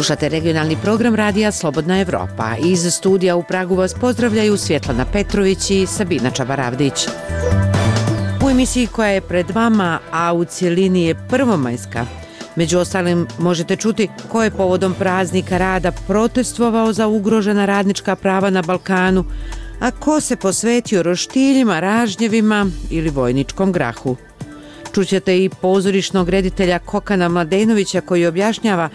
Slušate regionalni program radija Slobodna Evropa. Iz studija u Pragu vas pozdravljaju Svjetlana Petrović i Sabina Čabaravdić. U emisiji koja je pred vama, a u cjelini je prvomajska, među ostalim možete čuti ko je povodom praznika rada protestvovao za ugrožena radnička prava na Balkanu, a ko se posvetio roštiljima, ražnjevima ili vojničkom grahu. Čućete i pozorišnog reditelja Kokana Mladenovića koji objašnjava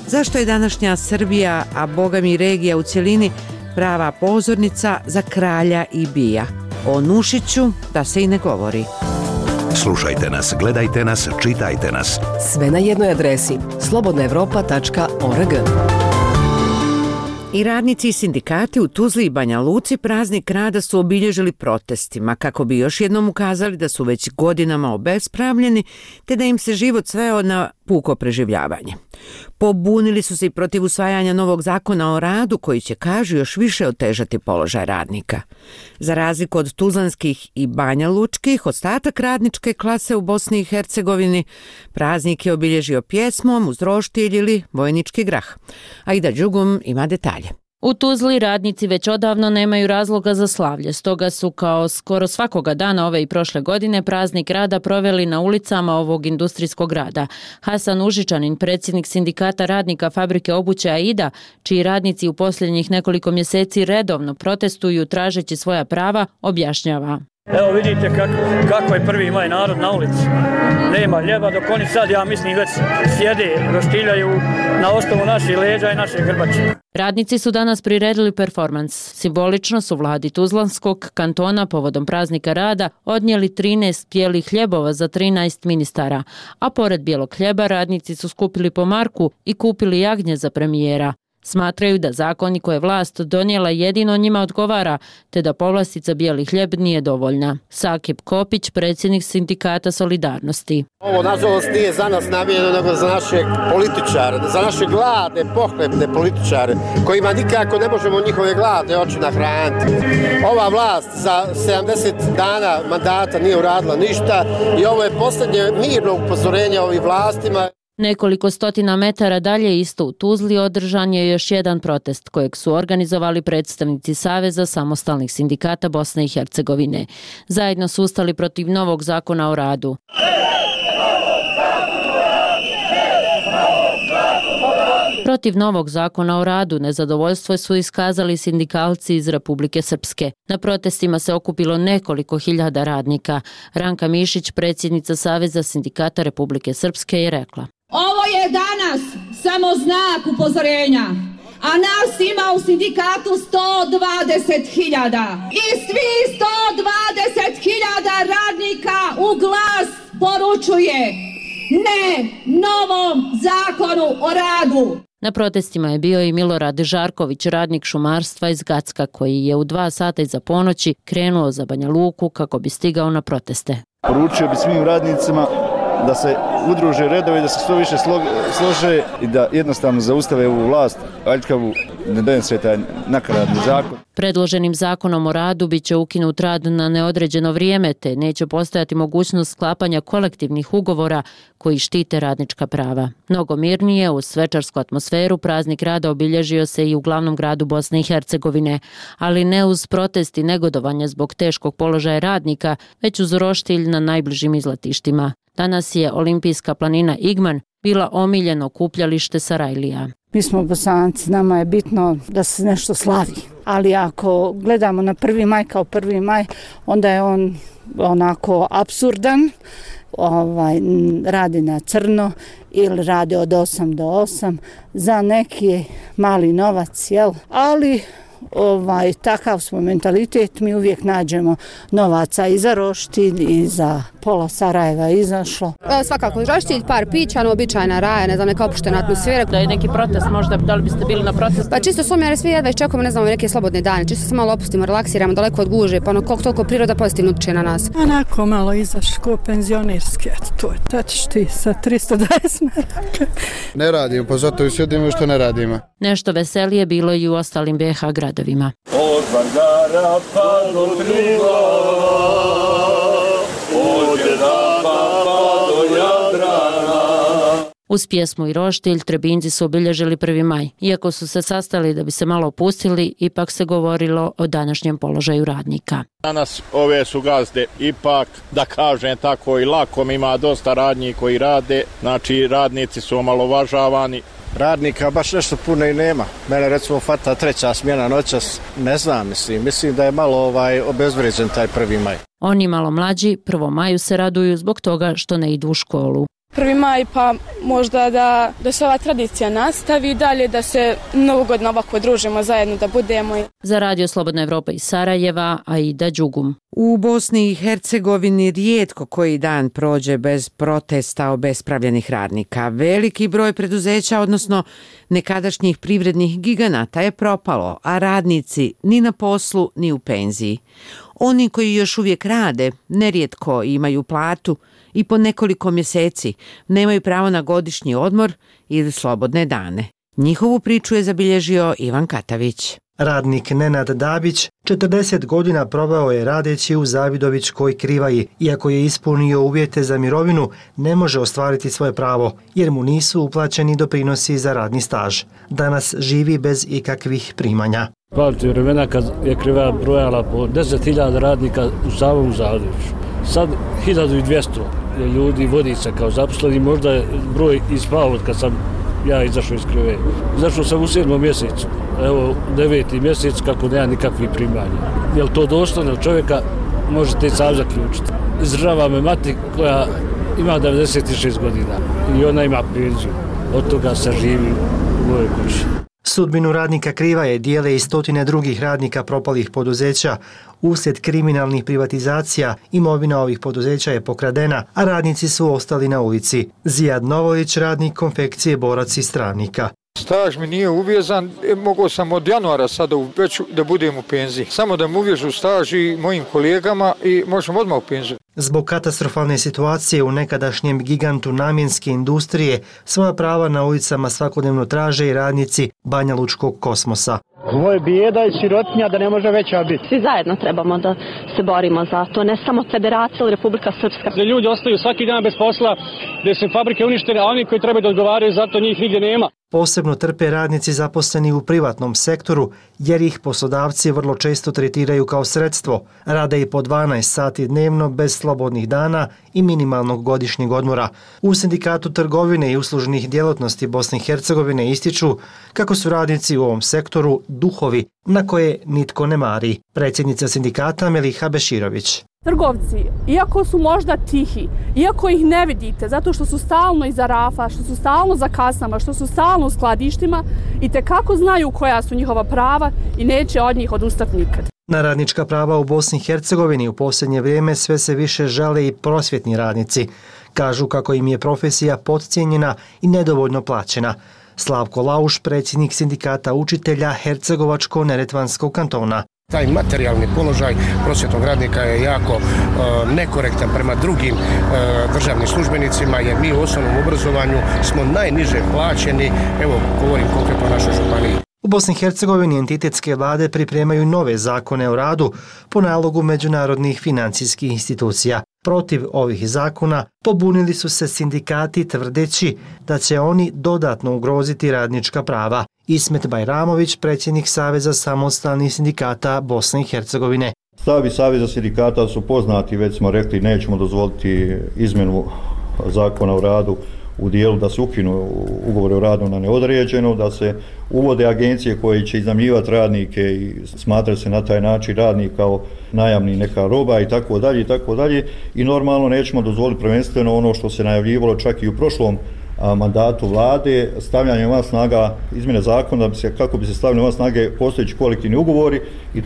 zašto je današnja Srbija, a bogami i regija u cjelini, prava pozornica za kralja i bija. O Nušiću da se i ne govori. Slušajte nas, gledajte nas, čitajte nas. Sve na jednoj adresi slobodnaevropa.org. I radnici i sindikati u Tuzli i Banja Luci praznik rada su obilježili protestima kako bi još jednom ukazali da su već godinama obespravljeni te da im se život sveo na puko preživljavanje. Pobunili su se i protiv usvajanja novog zakona o radu koji će, kažu, još više otežati položaj radnika. Za razliku od tuzlanskih i banjalučkih, ostatak radničke klase u Bosni i Hercegovini praznik je obilježio pjesmom uz roštilj ili vojnički grah. Aida Đugum ima detalje. U Tuzli radnici već odavno nemaju razloga za slavlje, stoga su kao skoro svakoga dana ove i prošle godine praznik rada proveli na ulicama ovog industrijskog grada. Hasan Užičanin, predsjednik sindikata radnika fabrike obuće Aida, čiji radnici u posljednjih nekoliko mjeseci redovno protestuju tražeći svoja prava, objašnjava. Evo vidite kako je 1. maj narod na ulici. Nema ljeba dok oni sad, ja mislim, već sjede, roštiljaju na osnovu naših leđa i naše grbače. Radnici su danas priredili performans. Simbolično su vladi Tuzlanskog kantona povodom praznika rada odnijeli 13 bijelih hljebova za 13 ministara, a pored bijelog hljeba radnici su skupili po marku i kupili jagnje za premijera. Smatraju da zakoni koje vlast donijela jedino njima odgovara, te da povlastica bijeli hljeb nije dovoljna. Sakip Kopić, predsjednik sindikata Solidarnosti. Ovo nažalost nije za nas namijenjeno, nego za naše političare, za naše gladne, pohlepne političare, kojima nikako ne možemo njihove gladne oči nahraniti. Ova vlast za 70 dana mandata nije uradila ništa i ovo je posljednje mirno upozorenje ovim vlastima. Nekoliko stotina metara dalje isto u Tuzli održan je još jedan protest kojeg su organizovali predstavnici Saveza samostalnih sindikata Bosne i Hercegovine. Zajedno su ustali protiv novog zakona o radu. Protiv novog zakona o radu nezadovoljstvo su iskazali sindikalci iz Republike Srpske. Na protestima se okupilo nekoliko hiljada radnika. Ranka Mišić, predsjednica Saveza sindikata Republike Srpske, je rekla: Ovo je danas samo znak upozorenja, a nas ima u sindikatu 120.000. I svi 120.000 radnika u glas poručuje ne novom zakonu o radu. Na protestima je bio i Milorad Žarković, radnik šumarstva iz Gacka, koji je u 2 sata iza ponoći krenuo za Banja Luku kako bi stigao na proteste. Poručio bi svim radnicima da se udruže redovi, da se što više slože i da jednostavno zaustave ovu vlast, aljkavu, ne donese taj nakaradni zakon. Predloženim zakonom o radu biće ukinut rad na neodređeno vrijeme, te neće postojati mogućnost sklapanja kolektivnih ugovora koji štite radnička prava. Mnogo mirnije, uz svečarsku atmosferu, praznik rada obilježio se i u glavnom gradu Bosne i Hercegovine, ali ne uz protest i negodovanje zbog teškog položaja radnika, već uz roštilj na najbližim izletištima. Danas je olimpijska planina Igman bila omiljeno okupljalište Sarajlija. Mi smo Bosanci, nama je bitno da se nešto slavi, ali ako gledamo na 1. maj kao 1. maj, onda je on onako apsurdan, radi na crno ili radi od 8 do 8 za neki mali novac, jel? Ali takav smo mentalitet, mi uvijek nađemo novaca i za roštilj i za pola Sarajeva izašlo. Svakako roštilj, par pića, običajna raja, ne znam, neka opuštena atmosfera. Da je neki protest možda, da li biste bili na protestu? Pa čisto smo jer svi jedva iščekujemo, ne znamo, neke slobodne dane, čisto se malo opustimo, relaksiramo, daleko od guže, pa koliko toliko priroda pozitivno utječe na nas. Onako malo izaš ko penzionerski, to je, tad ćeš ti sa 320 maraka. Ne radimo, pa zato i sjedimo što ne radimo. Nešto veselije bilo i u ostalim BiH gradovima. Od Vardara pa do Trila, od Jedaba pa do Jadrana. Uz pjesmu i roštilj Trebinjci su obilježili 1. maj. Iako su se sastali da bi se malo opustili, ipak se govorilo o današnjem položaju radnika. Danas ove su gazde ipak, da kažem tako, i lakom, ima dosta radnji koji rade, znači radnici su omalovažavani. Radnika baš nešto puno i nema. Mene recimo fata 3. smjena noćas, ne znam, mislim da je malo obezvređen taj 1. maj. Oni malo mlađi 1. maju se raduju zbog toga što ne idu u školu. 1. maj pa možda da se ova tradicija nastavi dalje, da se mnogogodno ovako družimo zajedno, da budemo. Za Radio Slobodna Evropa iz Sarajeva, Aida Đugum. U Bosni i Hercegovini rijetko koji dan prođe bez protesta obespravljenih radnika. Veliki broj preduzeća, odnosno nekadašnjih privrednih giganata je propalo, a radnici ni na poslu ni u penziji. Oni koji još uvijek rade, nerijetko imaju platu i po nekoliko mjeseci nemaju pravo na godišnji odmor ili slobodne dane. Njihovu priču je zabilježio Ivan Katavić. Radnik Nenad Dabić 40 godina proveo je radeći u Zavidovićkoj Krivaji. Iako je ispunio uvjete za mirovinu, ne može ostvariti svoje pravo, jer mu nisu uplaćeni doprinosi za radni staž. Danas živi bez ikakvih primanja. Pamtim vremena kad je Krivaja brojala po 10.000 radnika u samom Zavidoviću. Sad 1200 ljudi vodi se kao zaposleni, možda je broj ispao od kad sam ja izašao iz Krivaje. Izašao sam u 7. mjesecu, evo 9. mjesec kako nema nikakvih primanja. Je li to dostojno čovjeka, možete i sam zaključiti. Izdržava me mati koja ima 96 godina i ona ima penziju. Od toga se živi u ovoj kući. Sudbinu radnika Krivaje dijele i stotine drugih radnika propalih poduzeća. Uslijed kriminalnih privatizacija imovina ovih poduzeća je pokradena, a radnici su ostali na ulici. Zijad Novović, radnik konfekcije Borac iz Travnika. Staž mi nije uvezan, mogao sam od januara sada već da budem u penziji. Samo da mu uvežu staž i mojim kolegama i možemo odmah u penziju. Zbog katastrofalne situacije u nekadašnjem gigantu namjenske industrije, svoja prava na ulicama svakodnevno traže i radnici Banja Lučkog Kosmosa. Ovo je bijeda i sirotinja da ne može veća biti. Svi zajedno trebamo da se borimo za to, ne samo Federacija ili Republika Srpska. Da ljudi ostaju svaki dan bez posla, da su fabrike uništene, a oni koji trebaju da odgovaraju, zato njih nigdje nema. Posebno trpe radnici zaposleni u privatnom sektoru, jer ih poslodavci vrlo često tretiraju kao sredstvo. Rade i po 12 sati dnevno bez slobodnih dana i minimalnog godišnjeg odmora. U Sindikatu trgovine i uslužnih djelatnosti Bosne i Hercegovine ističu kako su radnici u ovom sektoru duhovi na koje nitko ne mari. Predsjednica sindikata Meliha Beširović. Trgovci, iako su možda tihi, iako ih ne vidite, zato što su stalno iza rafa, što su stalno za kasama, što su stalno u skladištima, itekako znaju koja su njihova prava i neće od njih odustati nikad. Na radnička prava u Bosni i Hercegovini u posljednje vrijeme sve se više žale i prosvjetni radnici. Kažu kako im je profesija podcijenjena i nedovoljno plaćena. Slavko Lauš, predsjednik sindikata učitelja Hercegovačko-Neretvanskog kantona. Taj materijalni položaj prosvjetnog radnika je jako nekorektan prema drugim državnim službenicima, jer mi u osnovnom obrazovanju smo najniže plaćeni, evo govorim konkretno o našoj županiji. U Bosni i Hercegovini entitetske vlade pripremaju nove zakone o radu po nalogu međunarodnih financijskih institucija. Protiv ovih zakona pobunili su se sindikati tvrdeći da će oni dodatno ugroziti radnička prava. Ismet Bajramović, predsjednik Saveza samostalnih sindikata Bosne i Hercegovine. Stavovi Saveza sindikata su poznati, već smo rekli nećemo dozvoliti izmjenu zakona o radu u dijelu da se ukinu ugovore o radu na neodređeno, da se uvode agencije koje će iznajmljivati radnike i smatrati se na taj način radnik kao najamni neka roba i tako dalje i tako dalje. I normalno nećemo dozvoliti prvenstveno ono što se najavljivalo čak i u prošlom mandatu vlade, stavljanje van snaga izmjene zakona kako bi se stavili van snage postojeći kolektivni ugovori i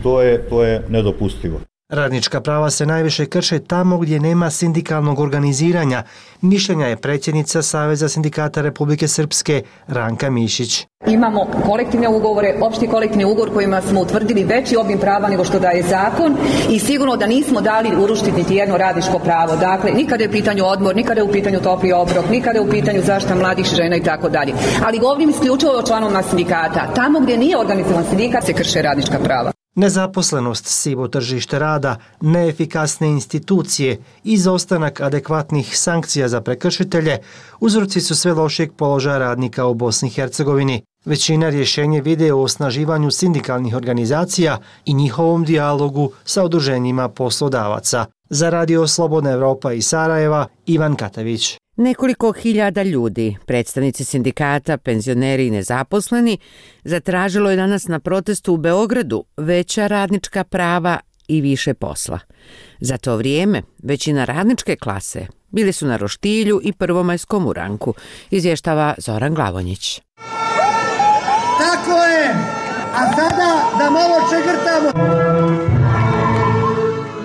to je nedopustivo. Radnička prava se najviše krše tamo gdje nema sindikalnog organiziranja, mišljenja je predsjednica Saveza sindikata Republike Srpske Ranka Mišić. Imamo kolektivne ugovore, opšti kolektivni ugovor kojima smo utvrdili veći obim prava nego što daje zakon i sigurno da nismo dali urušiti niti jedno radničko pravo. Dakle, nikada je u pitanju odmor, nikada je u pitanju topli obrok, nikada je u pitanju zaštita mladih žena i tako dalje. Ali govorim isključivo o članovima sindikata. Tamo gdje nije organizovan sindikat se krše radnička prava. Nezaposlenost, sivo tržište rada, neefikasne institucije i izostanak adekvatnih sankcija za prekršitelje uzroci su sve lošijeg položaja radnika u Bosni i Hercegovini. Većina rješenje vide u osnaživanju sindikalnih organizacija i njihovom dijalogu sa udruženjima poslodavaca. Za Radio Slobodna Evropa iz Sarajeva, Ivan Katavić. Nekoliko hiljada ljudi, predstavnici sindikata, penzioneri i nezaposleni, zatražilo je danas na protestu u Beogradu veća radnička prava i više posla. Za to vrijeme većina radničke klase bili su na roštilju i prvomajskom uranku, izvještava Zoran Glavonjić. Tako je, a sada da malo čegrtamo.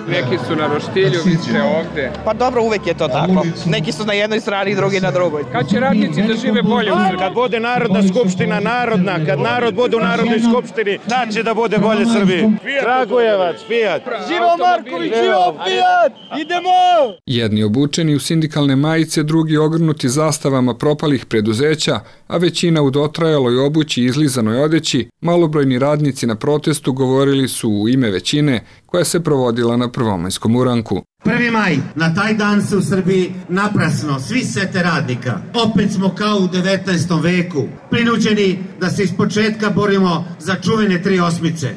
Neki su na roštilju, vi ste ovdje. Pa dobro, uvek je to tako. Neki su na jednoj strani, drugi na drugoj. Kad će radnici da žive bolje u Srbiji? Kad bude Narodna skupština narodna, kad narod bude u Narodnoj skupštini, tad će da bude bolje Srbiji. Kragujevac, Fijat. Živo Marković, živo Fijat! Idemo! Jedni obučeni u sindikalne majice, drugi ogrnuti zastavama propalih preduzeća, a većina u dotrajaloj obući i izlizanoj odeći, malobrojni radnici na protestu govorili su u ime većine koja se provodila na prvomajskom uranku. 1. maj, na taj dan se u Srbiji naprasno svi sete radnika. Opet smo kao u 19. veku, prinuđeni da se ispočetka borimo za čuvene 3 osmice.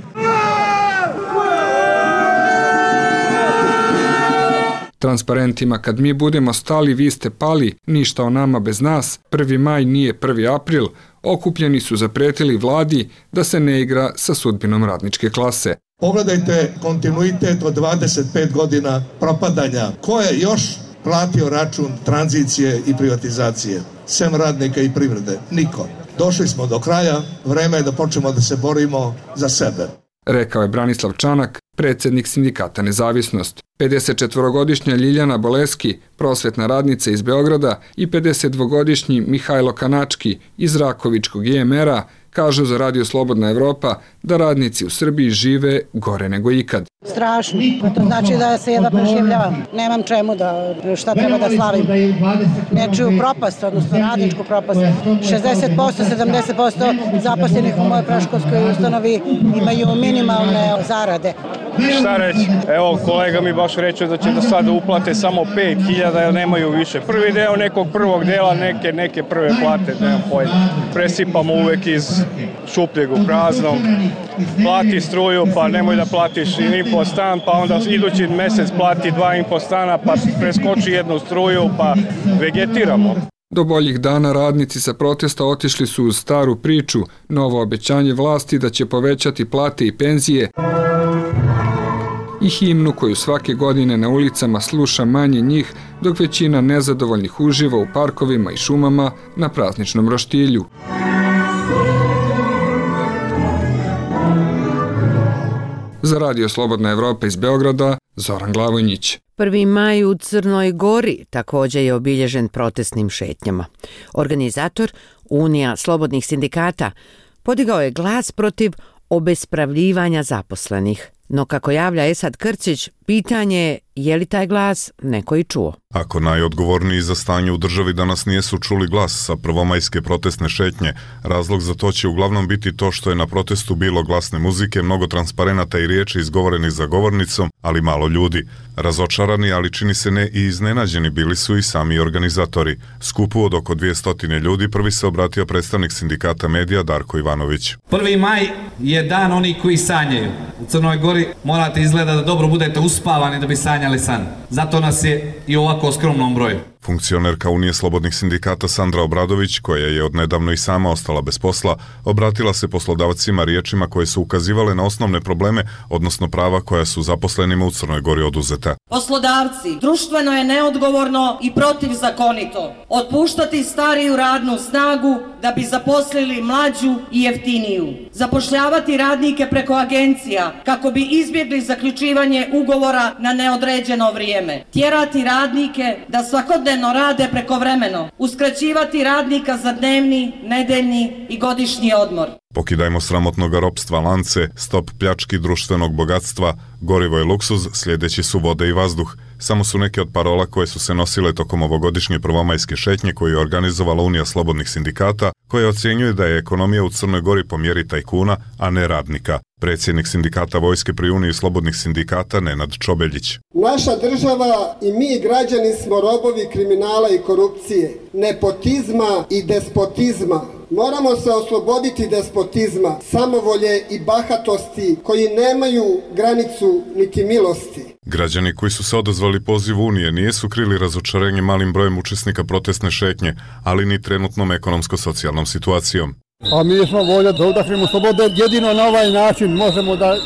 Transparentima kad mi budemo stali, vi ste pali, ništa o nama bez nas, 1. maj nije 1. april, okupljeni su zapretili vladi da se ne igra sa sudbinom radničke klase. Pogledajte kontinuitet od 25 godina propadanja. Ko je još platio račun tranzicije i privatizacije? Sem radnika i privrede. Niko. Došli smo do kraja, vreme je da počnemo da se borimo za sebe. Rekao je Branislav Čanak, predsjednik sindikata Nezavisnost. 54-godišnja Ljiljana Boleski, prosvetna radnica iz Beograda, i 52-godišnji Mihajlo Kanački iz Rakovičkog IMR-a kažu za Radio Slobodna Evropa da radnici u Srbiji žive gore nego ikad. Strašno. To znači da se jedva preživljavam. Nemam čemu šta treba da slavim. Nečiju propast, odnosno radničku propast. 60%, 70% zaposlenih u mojoj predškolskoj ustanovi imaju minimalne zarade. Šta reći? Evo, kolega mi baš reče da će do sada uplate samo 5.000 jer nemaju više. Prvi deo nekog prvog dela, neke prve plate, nemam pojma. Presipamo uvek iz šupljeg u praznom. Plati struju, pa nemoj da platiš ni po stan, pa onda idući mjesec plati 2,5 stana, pa preskoči jednu struju, pa vegetiramo. Do boljih dana radnici sa protesta otišli su uz staru priču, novo obećanje vlasti da će povećati plate i penzije i himnu koju svake godine na ulicama sluša manje njih, dok većina nezadovoljnih uživa u parkovima i šumama na prazničnom roštilju. Za Radio Slobodna Evropa iz Beograda, Zoran Glavonjić. 1. maj u Crnoj Gori također je obilježen protestnim šetnjama. Organizator, Unija slobodnih sindikata, podigao je glas protiv obespravljivanja zaposlenih. No kako javlja Esad Krcić, pitanje je li taj glas neko i čuo. Ako najodgovorniji za stanje u državi danas nijesu čuli glas sa prvomajske protestne šetnje, razlog za to će uglavnom biti to što je na protestu bilo glasne muzike, mnogo transparenata i riječi izgovoreni za govornicom, ali malo ljudi. Razočarani, ali čini se ne i iznenađeni bili su i sami organizatori. Skupu od oko 200 ljudi prvi se obratio predstavnik sindikata medija Darko Ivanović. 1. maj je dan onih koji sanjaju. U Crnoj Gori morate izgleda da dobro budete uspavani da bi sanjali san. Zato nas je i ovako skromnom broju. Funkcionerka Unije slobodnih sindikata Sandra Obradović, koja je odnedavno i sama ostala bez posla, obratila se poslodavcima riječima koje su ukazivale na osnovne probleme, odnosno prava koja su zaposlenima u Crnoj Gori oduzeta. Poslodavci, društveno je neodgovorno i protivzakonito otpuštati stariju radnu snagu da bi zaposlili mlađu i jeftiniju. Zapošljavati radnike preko agencija kako bi izbjegli zaključivanje ugovora na neodređeno vrijeme. Tjerati radnike da svakodnevno rade prekovremeno. Uskraćivati radnika za dnevni, nedeljni i godišnji odmor. Pokidajmo sramotnog ropstva lance, stop pljački društvenog bogatstva, gorivo je luksuz, sljedeći su vode i vazduh. samo su neke od parola koje su se nosile tokom ovogodišnje prvomajske šetnje koju je organizovala Unija slobodnih sindikata, koja ocjenjuje da je ekonomija u Crnoj Gori po mjeri tajkuna, a ne radnika. Predsjednik sindikata Vojske pri Uniji slobodnih sindikata Nenad Čobeljić. Naša država i mi građani smo robovi kriminala i korupcije, nepotizma i despotizma. Moramo se osloboditi despotizma, samovolje i bahatosti koji nemaju granicu niti milosti. Građani koji su se odazvali pozivu Unije nisu krili razočarenje malim brojem učesnika protestne šetnje, ali ni trenutnom ekonomsko-socijalnom situacijom. A mi smo volja da udahnemo slobodu, jedino na ovaj način možemo da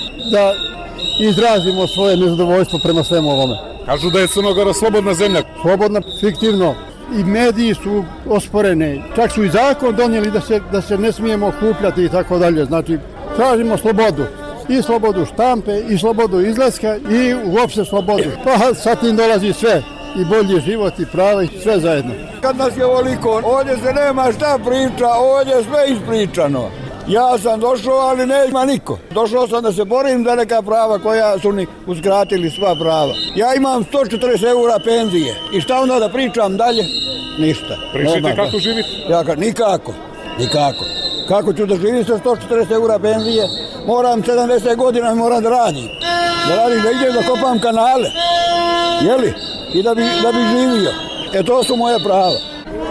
izrazimo svoje nezadovoljstvo prema svemu ovome. Kažu da je Crna Gora slobodna zemlja. Slobodna, fiktivno. I mediji su osporene. Čak su i zakon donijeli da se ne smijemo okupljati i tako dalje. Znači, tražimo slobodu. I slobodu štampe, i slobodu izlaska, i uopšte slobodu. Pa sa tim dolazi sve. I bolji život, i prava, i sve zajedno. Kad nas je ovoliko, ovdje se nema šta priča, ovdje je sve ispričano. Ja sam došao, ali nema niko. Došao sam da se borim za neka prava koja su mi uskratili sva prava. Ja imam 140 eura penzije. I šta onda da pričam dalje? Ništa. Pričajte kako živite? Nikako. Kako ću da živim sa 140 eura penzije? Moram 70 godina i moram da radim. Da idem da kopam kanale. Jeli? I da bi živio. To su moje prava.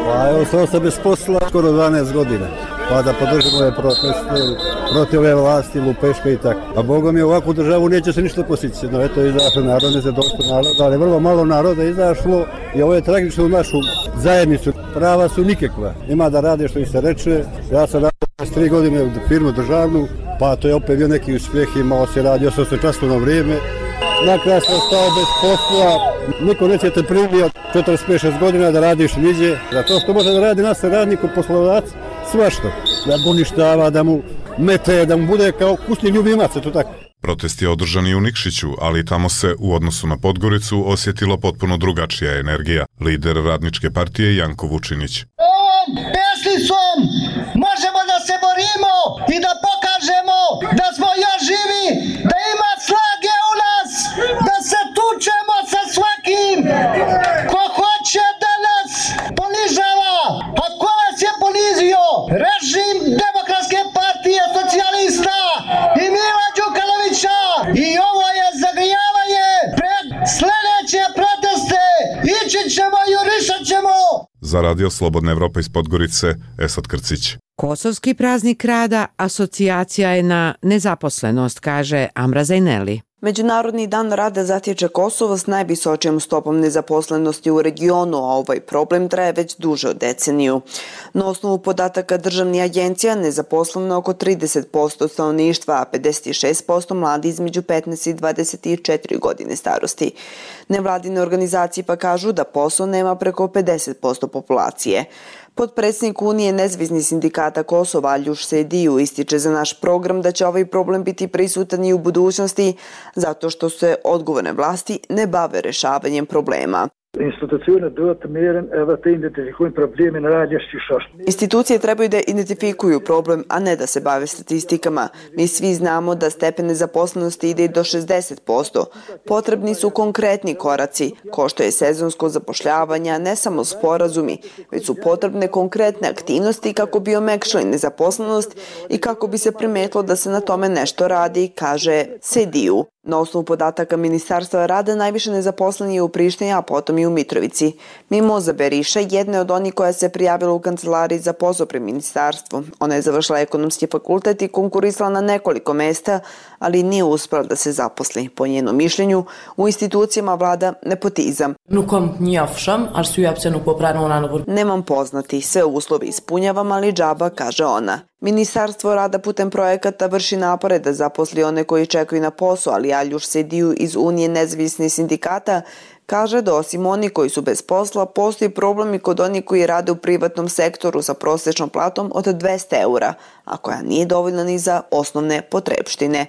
Pa evo sam se bez posla skoro 12 godina. Pa da podržimo ove proteste protiv ove vlasti, lupeške i tako. A Bogom je ovakvu državu neće se ništa postići. No eto, izašlo narod, ne se došlo naroda, ali vrlo malo naroda izašlo i ovo je tragično u našu zajednicu. Prava su nikakva. Ima da rade što i se reče. Ja sam radio 3 godine u firmu državnu, pa to je opet bio neki uspjeh, imao se radio 8 časovno vrijeme. Nakraj sam stao bez posla, niko neće te primio 45-6 godina da radiš niđe. Zato što može da radi nas radnik u poslodavac, svašto. Da mu uništava, da mu mete, da mu bude kao kućni ljubimac, to tako. Protest je održan i u Nikšiću, ali tamo se u odnosu na Podgoricu osjetila potpuno drugačija energija. Lider Radničke partije Janko Vučinić. Ovom pesnicom možemo da se borimo i da pokažemo da smo još živi, da ima snage u nas, da se tučemo sa svakim ko hoće da nas ponižava. A ko nas je ponizio? Režim Demokratske partije socijalista i Mila Đukanovića. I ovo je zagrijavanje pred sljedeće proteste. Ići ćemo i jurišat ćemo. Za Radio Slobodna Evropa iz Podgorice, Esad Krcić. Kosovski praznik rada asocijacija je na nezaposlenost, kaže Amra Zajneli. Međunarodni dan rada zatječe Kosovo s najvisočijom stopom nezaposlenosti u regionu, a ovaj problem traje već duže od deceniju. Na osnovu podataka državnih agencija nezaposleno oko 30% stanovništva, a 56% mladi između 15 i 24 godine starosti. Nevladine organizacije pa kažu da posao nema preko 50% populacije. Potpredsjednik Unije nezavisnih sindikata Kosova Aljuš Sediju ističe za naš program da će ovaj problem biti prisutan i u budućnosti zato što se odgovorne vlasti ne bave rešavanjem problema. Institucije trebaju da identifikuju problem, a ne da se bave statistikama. Mi svi znamo da stepen nezaposlenosti ide do 60%. Potrebni su konkretni koraci, ko što je sezonsko zapošljavanje, ne samo sporazumi, već su potrebne konkretne aktivnosti kako bi omekšali nezaposlenost i kako bi se primetilo da se na tome nešto radi, kaže Sediju. Na osnovu podataka Ministarstva rada najviše nezaposleni je u Prištini, a potom i u Mitrovici. Mimoza Beriša jedna je od onih koja se prijavila u kancelariji za posao pri ministarstvu. Ona je završila ekonomski fakultet i konkurisala na nekoliko mesta, ali nije uspela da se zaposli. Po njenom mišljenju, u institucijama vlada nepotizam. Nemam poznati, sve uslove ispunjavam, ali džaba, kaže ona. Ministarstvo rada putem projekata vrši napore da zaposli one koji čekaju na posao, ali Aljuš Sediju iz Unije nezavisnih sindikata kaže da osim oni koji su bez posla, postoji problem i kod onih koji rade u privatnom sektoru sa prosječnom platom od 200 eura, a koja nije dovoljna ni za osnovne potrepštine.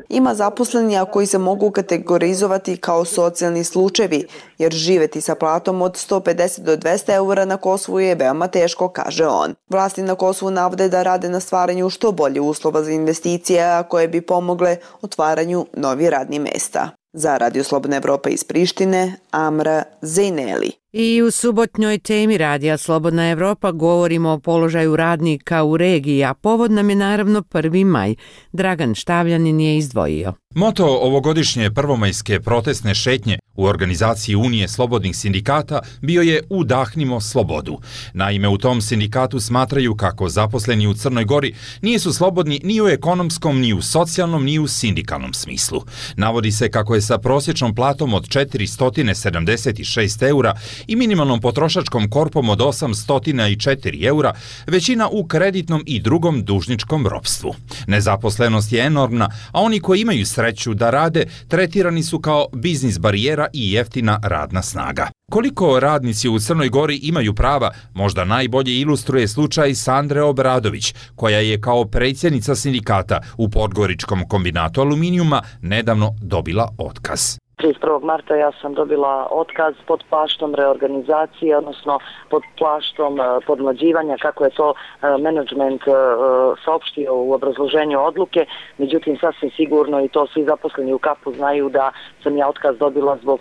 Ima zaposleni koji se mogu kategorizovati kao socijalni slučajevi, jer živeti sa platom od 150 do 200 eura na Kosovu je veoma teško, kaže on. Vlasti na Kosovu navode da rade na stvaranju što bolje uslova za investicije, a koje bi pomogle otvaranju novi radni mesta. Za Radio Slobodna Evropa iz Prištine, Amra Zejneli. I u subotnjoj temi Radija Slobodna Evropa govorimo o položaju radnika u regiji, a povod nam je naravno 1. maj. Dragan Štavljanin je izdvojio. Moto ovogodišnje prvomajske protestne šetnje u organizaciji Unije slobodnih sindikata bio je Udahnimo slobodu. Naime, u tom sindikatu smatraju kako zaposleni u Crnoj Gori nisu slobodni ni u ekonomskom, ni u socijalnom, ni u sindikalnom smislu. Navodi se kako je sa prosječnom platom od 476 eura i minimalnom potrošačkom korpom od 804 eura, većina u kreditnom i drugom dužničkom ropstvu. Nezaposlenost je enormna, a oni koji imaju sreću da rade tretirani su kao biznis barijera i jeftina radna snaga. Koliko radnici u Crnoj Gori imaju prava, možda najbolje ilustruje slučaj Sandre Obradović, koja je kao predsjednica sindikata u Podgoričkom kombinatu aluminijuma nedavno dobila otkaz. 31. marta ja sam dobila otkaz pod plaštom reorganizacije, odnosno pod plaštom podmlađivanja, kako je to menadžment saopštio u obrazloženju odluke. Međutim, sasvim sigurno, i to svi zaposleni u KAP-u znaju, da sam ja otkaz dobila zbog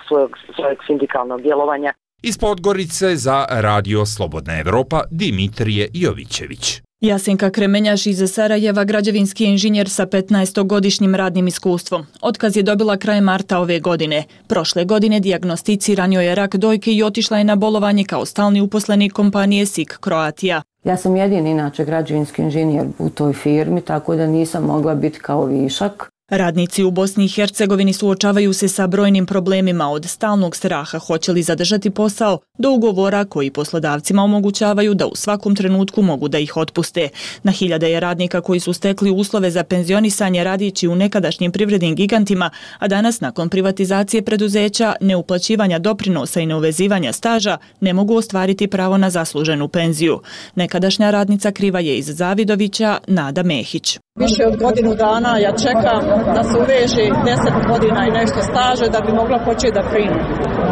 svojeg sindikalnog djelovanja. Iz Podgorice za Radio Slobodna Evropa Dimitrije Jovićević. Jasenka Kremenjaš iz Sarajeva, građevinski inženjer sa 15-godišnjim radnim iskustvom. Otkaz je dobila krajem marta ove godine. Prošle godine dijagnosticiran joj je rak dojke i otišla je na bolovanje kao stalni uposlenik kompanije SIK Croatia. Ja sam jedini inače građevinski inženjer u toj firmi, tako da nisam mogla biti kao višak. Radnici u Bosni i Hercegovini suočavaju se sa brojnim problemima, od stalnog straha hoće li zadržati posao do ugovora koji poslodavcima omogućavaju da u svakom trenutku mogu da ih otpuste. Na hiljade je radnika koji su stekli uslove za penzionisanje radići u nekadašnjim privrednim gigantima, a danas nakon privatizacije preduzeća, neuplaćivanja doprinosa i neuvezivanja staža ne mogu ostvariti pravo na zasluženu penziju. Nekadašnja radnica kriva je iz Zavidovića Nada Mehić. Više od godinu dana ja čekam da se uveže 10 godina i nešto staže da bi mogla početi da primim.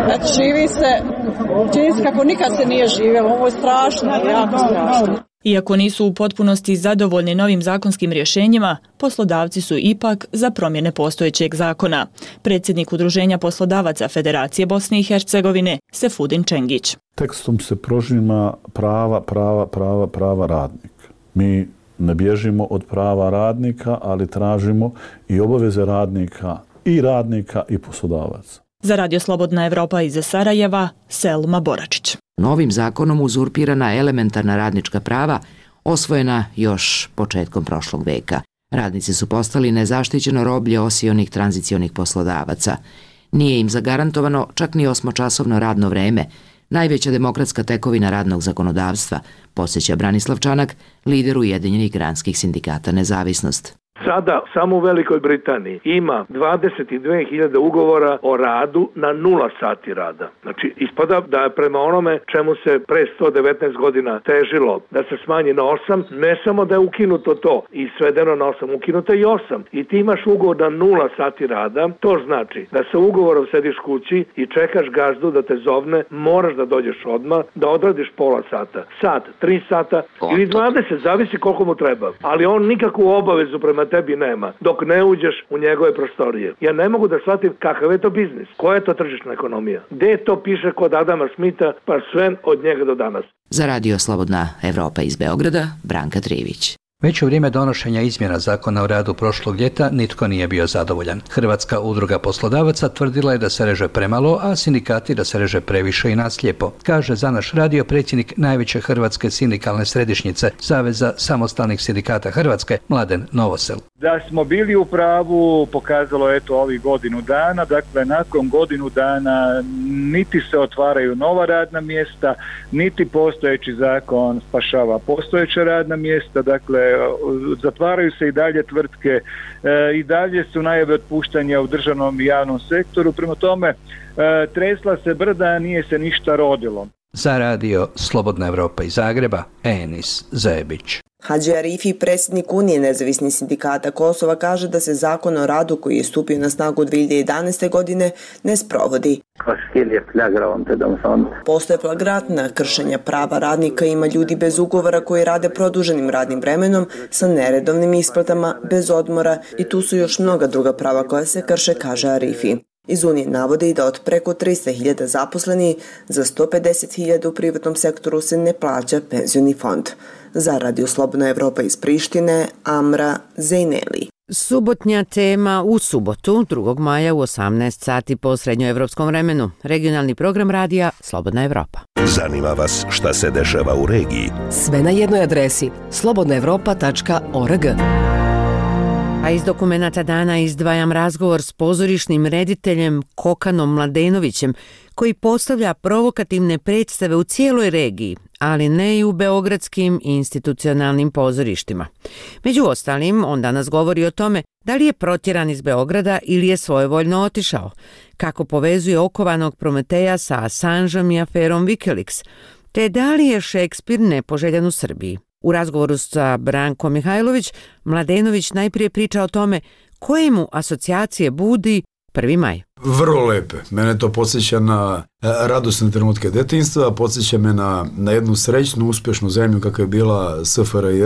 Znači, živi se, čini se kako nikad se nije živjelo, ovo je strašno, jako strašno. Iako nisu u potpunosti zadovoljni novim zakonskim rješenjima, poslodavci su ipak za promjene postojećeg zakona. Predsjednik Udruženja poslodavaca Federacije Bosne i Hercegovine, Sefudin Čengić. Tekstom se prožima prava radnika. Mi ne bježimo od prava radnika, ali tražimo i obaveze radnika i poslodavaca. Za Radio Slobodna Evropa iz Sarajeva, Selma Boračić. Novim zakonom uzurpirana elementarna radnička prava osvojena još početkom prošlog veka. Radnici su postali nezaštićeno roblje osionih tranzicionih poslodavaca. Nije im zagarantovano čak ni 8-časovno radno vreme, najveća demokratska tekovina radnog zakonodavstva, podsjeća Branislav Čanak, lider Ujedinjenih granskih sindikata Nezavisnost. Sada samo u Velikoj Britaniji ima 22.000 ugovora o radu na 0 sati rada. Znači, ispada da je prema onome čemu se pre 119 godina težilo da se smanji na 8, ne samo da je ukinuto to i svedeno na 8, ukinuto je i 8. I ti imaš ugovor na 0 sati rada, to znači da sa ugovorom sediš kući i čekaš gazdu da te zovne, moraš da dođeš odmah, da odradiš pola sata, sat, 3 sata ili 20, zavisi koliko mu treba. Ali on nikakvu obavezu prema tebi nema, dok ne uđeš u njegove prostorije. Ja ne mogu da shvatim kakav je to biznis, koja je to tržišna ekonomija. Gde to piše kod Adama Smitha, pa sve od njega do danas. Za Radio Slobodna Evropa iz Beograda, Branka Trivić. Već u vrijeme donošenja izmjena zakona o radu prošlog ljeta nitko nije bio zadovoljan. Hrvatska udruga poslodavaca tvrdila je da se reže premalo, a sindikati da se reže previše i naslijepo, kaže za naš radio predsjednik najveće hrvatske sindikalne središnjice Saveza samostalnih sindikata Hrvatske, Mladen Novosel. Da smo bili u pravu pokazalo je to ovih godinu dana, dakle nakon godinu dana niti se otvaraju nova radna mjesta, niti postojeći zakon spašava postojeća radna mjesta, dakle zatvaraju se i dalje tvrtke, i dalje su najave otpuštanja u državnom i javnom sektoru, prema tome tresla se brda, nije se ništa rodilo. Za radio Slobodna Evropa iz Zagreba, Enis Zebić. Hadži Arifi, predsjednik Unije nezavisnih sindikata Kosova, kaže da se zakon o radu koji je stupio na snagu 2011. godine ne sprovodi. Postoje flagrantna kršenja prava radnika, ima ljudi bez ugovora koji rade produženim radnim vremenom sa neredovnim isplatama, bez odmora i tu su još mnoga druga prava koja se krše, kaže Arifi. Iz Unije navode i da od preko 300.000 zaposleni, za 150.000 u privatnom sektoru se ne plaća penzioni fond. Za Radio Slobodna Evropa iz Prištine, Amra Zejneli. Subotnja tema u subotu, 2. maja u 18 sati po srednjoevropskom vremenu. Regionalni program radija Slobodna Evropa. Zanima vas šta se dešava u regiji? Sve na jednoj adresi slobodnaevropa.org. A iz dokumenata dana izdvajam razgovor s pozorišnim rediteljem Kokanom Mladenovićem, koji postavlja provokativne predstave u cijeloj regiji, ali ne i u beogradskim institucionalnim pozorištima. Među ostalim, on danas govori o tome da li je protjeran iz Beograda ili je svojevoljno otišao, kako povezuje okovanog Prometeja sa Assangeom i aferom Wikileaks, te da li je Šekspir nepoželjan u Srbiji. U razgovoru sa Brankom Mihajlović, Mladenović najprije priča o tome koje mu asocijacije budi 1. maj. Vrlo lepe. Mene to podsjeća na radosne trenutke detinjstva, podsjeća me na jednu srećnu, uspješnu zemlju kakva je bila SFRJ,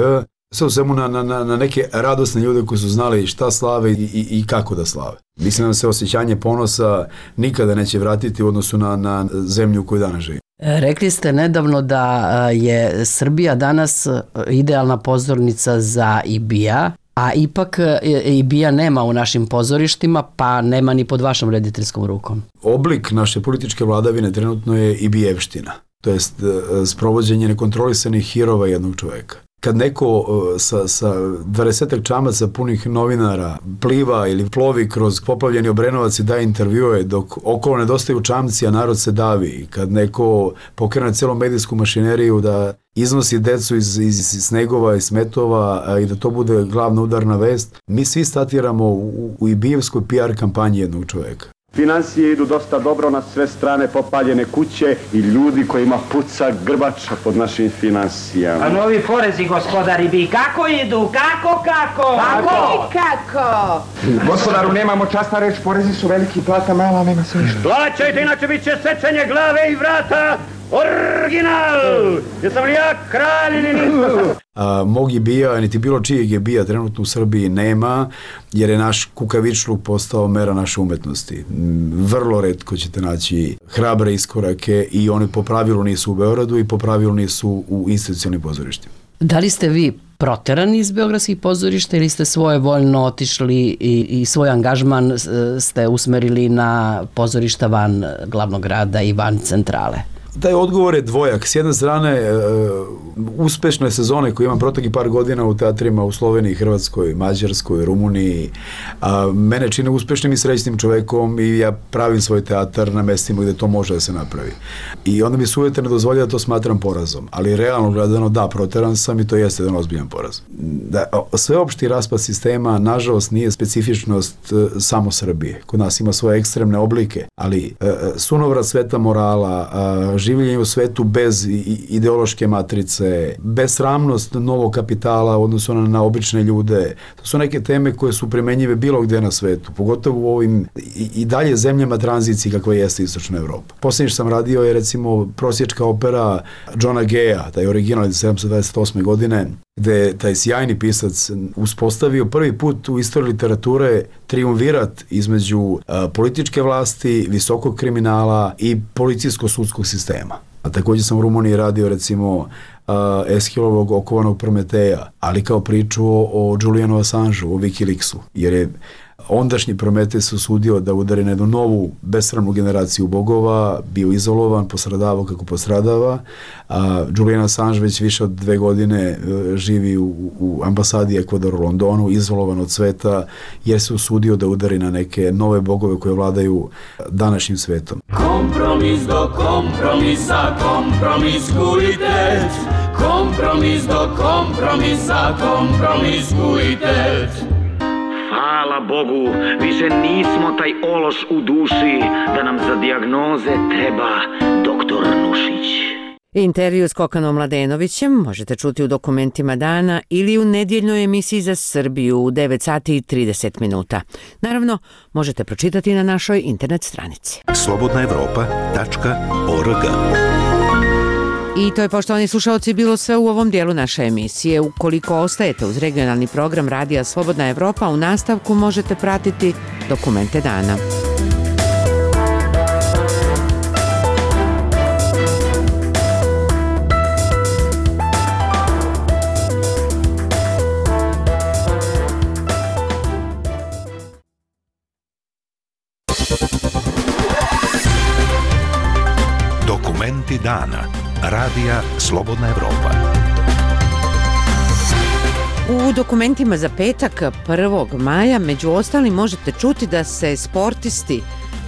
sve u svemu na neke radosne ljude koji su znali šta slave i kako da slave. Mislim da se osjećanje ponosa nikada neće vratiti u odnosu na zemlju u kojoj danas živi. Rekli ste nedavno da je Srbija danas idealna pozornica za IBIA, a ipak IBIA nema u našim pozorištima, pa nema ni pod vašom rediteljskom rukom. Oblik naše političke vladavine trenutno je IBIjevština, to jest sprovođenje nekontrolisanih hirova jednog čovjeka. Kad neko sa 20 čamaca punih novinara pliva ili plovi kroz poplavljeni Obrenovac i daje intervjue dok okolo nedostaju čamci, a narod se davi. Kad neko pokrene cijelu medijsku mašineriju da iznosi decu iz snegova i smetova i da to bude glavna udarna vest, mi svi statiramo u ibijevskoj PR kampanji jednog čovjeka. Finansije idu dosta dobro, na sve strane popaljene kuće i ljudi kojima puca grbača pod našim finansijama. A novi porezi, gospodari, bi kako idu? Kako? Gospodaru, nemamo časna reč, porezi su veliki, plata mala, nema se ništa. Plaćajte, inače bit će sečenje glave i vrata. Original! Jesam li ja kralj ili nisam? Mog IBIA, niti bilo čijeg IBIA trenutno u Srbiji nema, jer je naš kukavičluk postao mera naše umetnosti. Vrlo retko ćete naći hrabre iskorake i one po pravilu nisu u Beogradu i po pravilu nisu u institucionalnim pozorištima. Da li ste vi proterani iz beogradskih pozorišta ili ste svojevoljno otišli i svoj angažman ste usmerili na pozorišta van glavnog grada i van centrale? Taj odgovor je dvojak. S jedne strane, uspešne sezone koje imam proteklih par godina u teatrima u Sloveniji, Hrvatskoj, Mađarskoj, Rumuniji, mene čine uspešnim i srećnim čovekom i ja pravim svoj teatar na mestima gde to može da se napravi. I onda mi sujete ne dozvolja da to smatram porazom. Ali realno gledano, da, proteran sam i to jeste jedan ozbiljan poraz. Sveopšti raspad sistema, nažalost, nije specifičnost samo Srbije. Kod nas ima svoje ekstremne oblike, ali sunovrat sveta morala, življenje u svetu bez ideološke matrice, besramnost novog kapitala u odnosu na obične ljude. To su neke teme koje su primenjive bilo gdje na svetu, pogotovo u ovim i dalje zemljama tranziciji kakva jeste Istočna Evropa. Posljednje što sam radio je recimo prosječka opera Johna Gaya, taj original iz 1728. godine, gde je taj sjajni pisac uspostavio prvi put u istoriji literature triumvirat između političke vlasti, visokog kriminala i policijsko-sudskog sistema. A također sam u Rumuniji radio recimo Eshilovog okovanog Prometeja, ali kao priču o Julianu Assangeu, o Wikileaksu, jer je ondašnji Prometej se usudio da udari na jednu novu besramnu generaciju bogova, bio izolovan, postradavao kako postradava. Julian Assange već više od 2 godine živi u ambasadi Ekvadora u Londonu, izolovan od sveta, jer se usudio da udari na neke nove bogove koje vladaju današnjim svetom. Kompromis do kompromisa, kompromiskujte. Kompromis do kompromisa, kompromiskujte. Hvala Bogu, više nismo taj ološ u duši, da nam za dijagnoze treba doktor Nušić. Intervju s Kokanom Mladenovićem možete čuti u Dokumentima dana ili u nedjeljnoj emisiji za Srbiju u 9 sati i 30 minuta. Naravno, možete pročitati na našoj internet stranici. slobodnaevropa.org. I to je, poštovani slušalci, bilo sve u ovom dijelu naše emisije. Ukoliko ostajete uz regionalni program Radija Slobodna Evropa, u nastavku možete pratiti Dokumente dana. Dokumenti dana. Radija Slobodna Evropa. U dokumentima za petak 1. maja među ostalim možete čuti da se sportisti,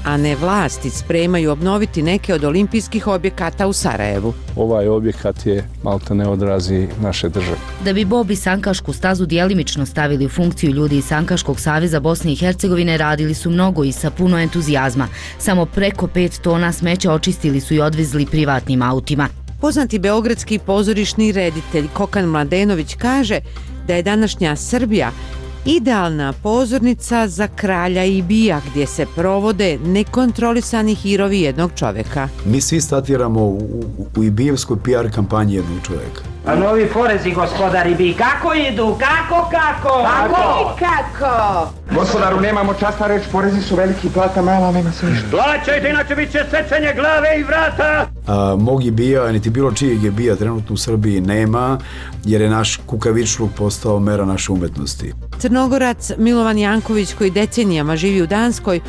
a ne vlasti, spremaju obnoviti neke od olimpijskih objekata u Sarajevu. Ovaj objekat je maltene odrazi naše države. Da bi Bob i sankašku stazu djelimično stavili u funkciju, ljudi iz Sankaškog saveza Bosne i Hercegovine radili su mnogo i sa puno entuzijazma. Samo preko 5 tona smeća očistili su i odvezli privatnim autima. Poznati beogradski pozorišni reditelj Kokan Mladenović kaže da je današnja Srbija idealna pozornica za Kralja Ibija, gdje se provode nekontrolisani hirovi jednog čoveka. Mi svi statiramo u Ibijevskoj PR kampanji jednog čoveka. A novi porezi, gospodar Ibij, kako idu? Kako? Gospodaru, nemamo časta reći, porezi su veliki, plata mala, nema se ništa. Plaćajte, inače bit će sečenje glave i vrata! Mog Ibija, niti bilo čijeg Ibija trenutno u Srbiji nema, jer je naš kukavičluk postao mera naše umetnosti. Crnogorac Milovan Janković, koji decenijama živi u Danskoj,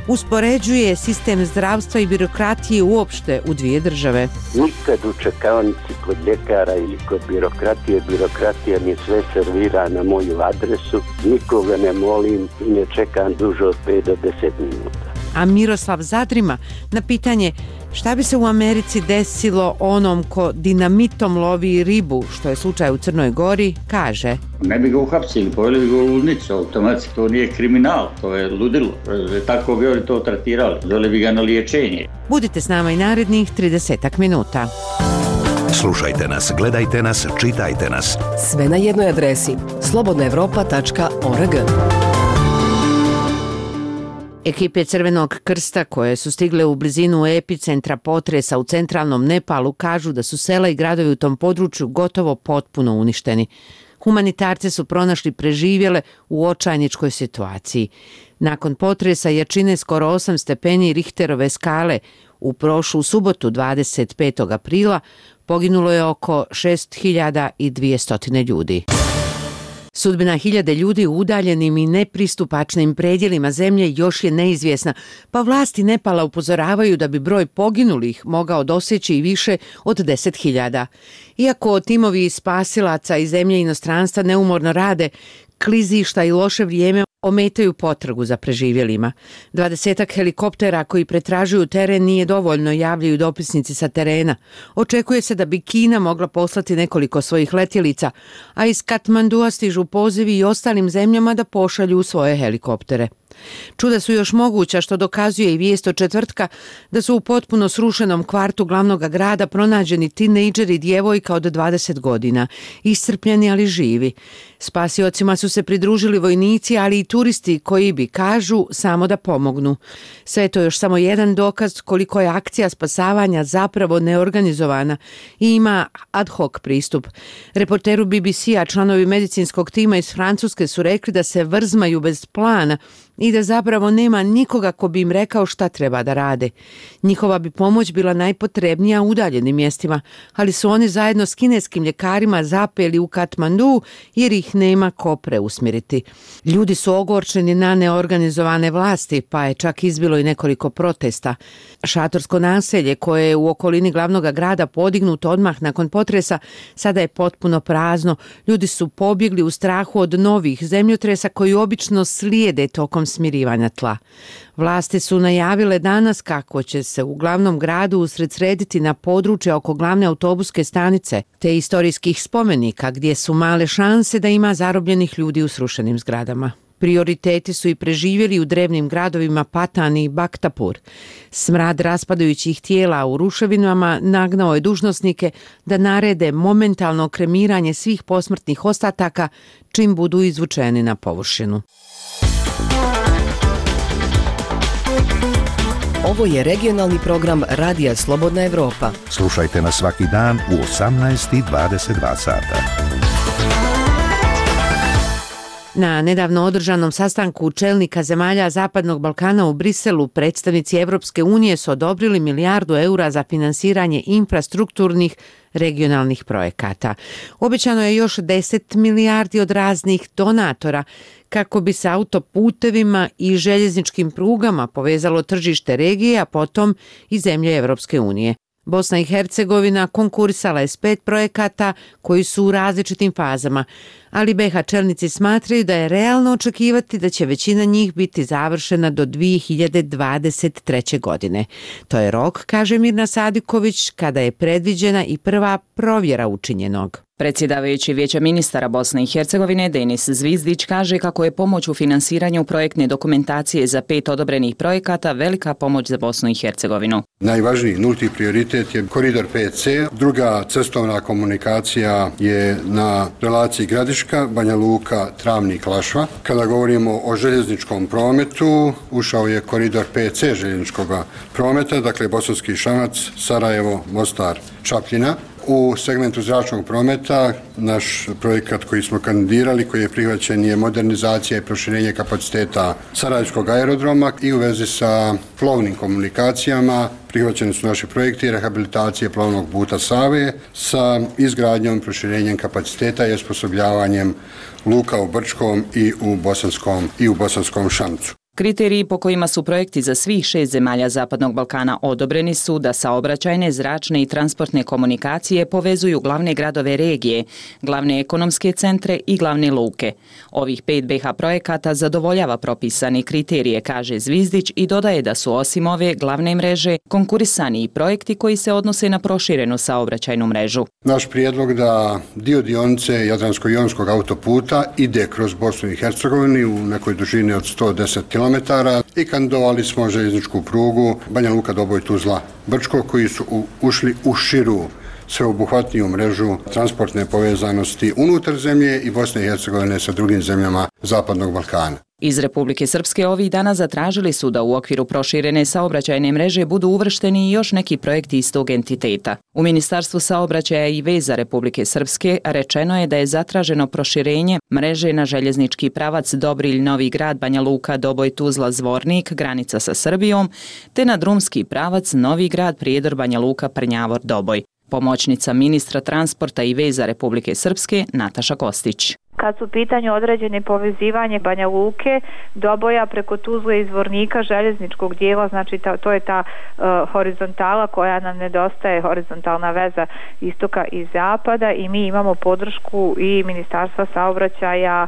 uspoređuje sistem zdravstva i birokratije uopšte u dvije države. Nikad u čekaonici kod ljekara ili kod birokratija mi sve servira na moju adresu, nikoga ne molim i ne čekam duže od 5 do 10 minuta. A Miroslav Zadrima na pitanje šta bi se u Americi desilo onom ko dinamitom lovi ribu, što je slučaj u Crnoj Gori, kaže: Ne bi ga uhapsili, poveli bi ga u ludnicu, automatski, to nije kriminal, to je ludilo, tako bi oni to tratirali, dole bi ga na liječenje. Budite s nama i narednih 30 minuta. Slušajte nas, gledajte nas, čitajte nas. Sve na jednoj adresi slobodnaevropa.org. Ekipe Crvenog krsta koje su stigle u blizinu epicentra potresa u centralnom Nepalu kažu da su sela i gradovi u tom području gotovo potpuno uništeni. Humanitarci su pronašli preživjele u očajničkoj situaciji. Nakon potresa jačine skoro 8 stepeni Richterove skale u prošlu subotu 25. aprila poginulo je oko 6200 ljudi. Sudbina hiljade ljudi u udaljenim i nepristupačnim predjelima zemlje još je neizvjesna, pa vlasti Nepala upozoravaju da bi broj poginulih mogao doseći i više od 10.000. Iako timovi spasilaca iz zemlje i inostranstva neumorno rade, klizišta i loše vrijeme ometaju potragu za preživjelima. 20 helikoptera koji pretražuju teren nije dovoljno, javljaju dopisnici sa terena. Očekuje se da bi Kina mogla poslati nekoliko svojih letjelica, a iz Katmandua stižu pozivi i ostalim zemljama da pošalju svoje helikoptere. Čuda su još moguća, što dokazuje i vijest od četvrtka da su u potpuno srušenom kvartu glavnog grada pronađeni tinejdžeri i djevojka od 20 godina, iscrpljeni ali živi. Spasiocima su se pridružili vojnici, ali i turisti koji bi, kažu, samo da pomognu. Sve je to još samo jedan dokaz koliko je akcija spasavanja zapravo neorganizovana i ima ad hoc pristup. Reporteru BBC-a članovi medicinskog tima iz Francuske su rekli da se vrzmaju bez plana i da zapravo nema nikoga ko bi im rekao šta treba da rade. Njihova bi pomoć bila najpotrebnija u udaljenim mjestima, ali su oni zajedno s kineskim ljekarima zapeli u Katmandu jer ih nema ko preusmjeriti. Ljudi su ogorčeni na neorganizovane vlasti, pa je čak izbilo i nekoliko protesta. Šatorsko naselje koje je u okolini glavnog grada podignuto odmah nakon potresa sada je potpuno prazno. Ljudi su pobjegli u strahu od novih zemljotresa koji obično slijede tokom smirivanja tla. Vlasti su najavile danas kako će se u glavnom gradu usredsrediti na područje oko glavne autobuske stanice te istorijskih spomenika gdje su male šanse da ima zarobljenih ljudi u srušenim zgradama. Prioriteti su i preživjeli u drevnim gradovima Patan i Baktapur. Smrad raspadajućih tijela u ruševinama nagnao je dužnosnike da narede momentalno kremiranje svih posmrtnih ostataka čim budu izvučeni na površinu. Ovo je regionalni program Radija Slobodna Evropa. Slušajte nas svaki dan u 18:22 sata. Na nedavno održanom sastanku čelnika zemalja Zapadnog Balkana u Briselu predstavnici Evropske unije su odobrili milijardu eura za finansiranje infrastrukturnih regionalnih projekata. Obećano je još 10 milijardi od raznih donatora kako bi se autoputevima i željezničkim prugama povezalo tržište regije, a potom i zemlje Evropske unije. Bosna i Hercegovina konkurisala je s 5 projekata koji su u različitim fazama, ali BiH čelnici smatraju da je realno očekivati da će većina njih biti završena do 2023. godine. To je rok, kaže Mirna Sadiković, kada je predviđena i prva provjera učinjenog. Predsjedavajući Vijeća ministara Bosne i Hercegovine Denis Zvizdić kaže kako je pomoć u finansiranju projektne dokumentacije za 5 odobrenih projekata velika pomoć za Bosnu i Hercegovinu. Najvažniji nulti prioritet je koridor 5C, druga cestovna komunikacija je na relaciji Gradiška, Banja Luka, Travnik, Lašva. Kada govorimo o željezničkom prometu, ušao je koridor 5C željezničkog prometa, dakle Bosanski Šamac, Sarajevo, Mostar, Čapljina. U segmentu zračnog prometa naš projekat koji smo kandidirali, koji je prihvaćen, je modernizacija i proširenje kapaciteta Sarajevskog aerodroma i u vezi sa plovnim komunikacijama prihvaćeni su naši projekti rehabilitacije plovnog puta Save sa izgradnjom i proširenjem kapaciteta i osposobljavanjem luka u Brčkom i u Bosanskom Šamcu. Kriteriji po kojima su projekti za svih 6 zemalja Zapadnog Balkana odobreni su da saobraćajne, zračne i transportne komunikacije povezuju glavne gradove regije, glavne ekonomske centre i glavne luke. Ovih 5 BiH projekata zadovoljava propisani kriterije, kaže Zvizdić, i dodaje da su osim ove glavne mreže konkurisani i projekti koji se odnose na proširenu saobraćajnu mrežu. Naš prijedlog da dio dionice Jadransko-jonskog autoputa ide kroz Bosnu i Hercegovinu u nekoj dužini od 110 km i kandidovali smo željezničku prugu Banja Luka, Doboj, Tuzla, Brčko, koji su ušli u širu sveobuhvatniju mrežu transportne povezanosti unutar zemlje i Bosne i Hercegovine sa drugim zemljama Zapadnog Balkana. Iz Republike Srpske ovih dana zatražili su da u okviru proširene saobraćajne mreže budu uvršteni i još neki projekti istog entiteta. U Ministarstvu saobraćaja i veza Republike Srpske rečeno je da je zatraženo proširenje mreže na željeznički pravac Dobrilj, Novi Grad, Banja Luka, Doboj, Tuzla, Zvornik, granica sa Srbijom, te na drumski pravac Novi Grad, Prijedor, Banja Luka, Prnjavor, Doboj. Pomoćnica ministra transporta i veza Republike Srpske Nataša Kostić. Kad su u pitanju određene povezivanje Banja Luke, Doboja preko Tuzle i Zvornika željezničkog dijela, znači to je ta horizontala koja nam nedostaje, horizontalna veza istoka i zapada, i mi imamo podršku i Ministarstva saobraćaja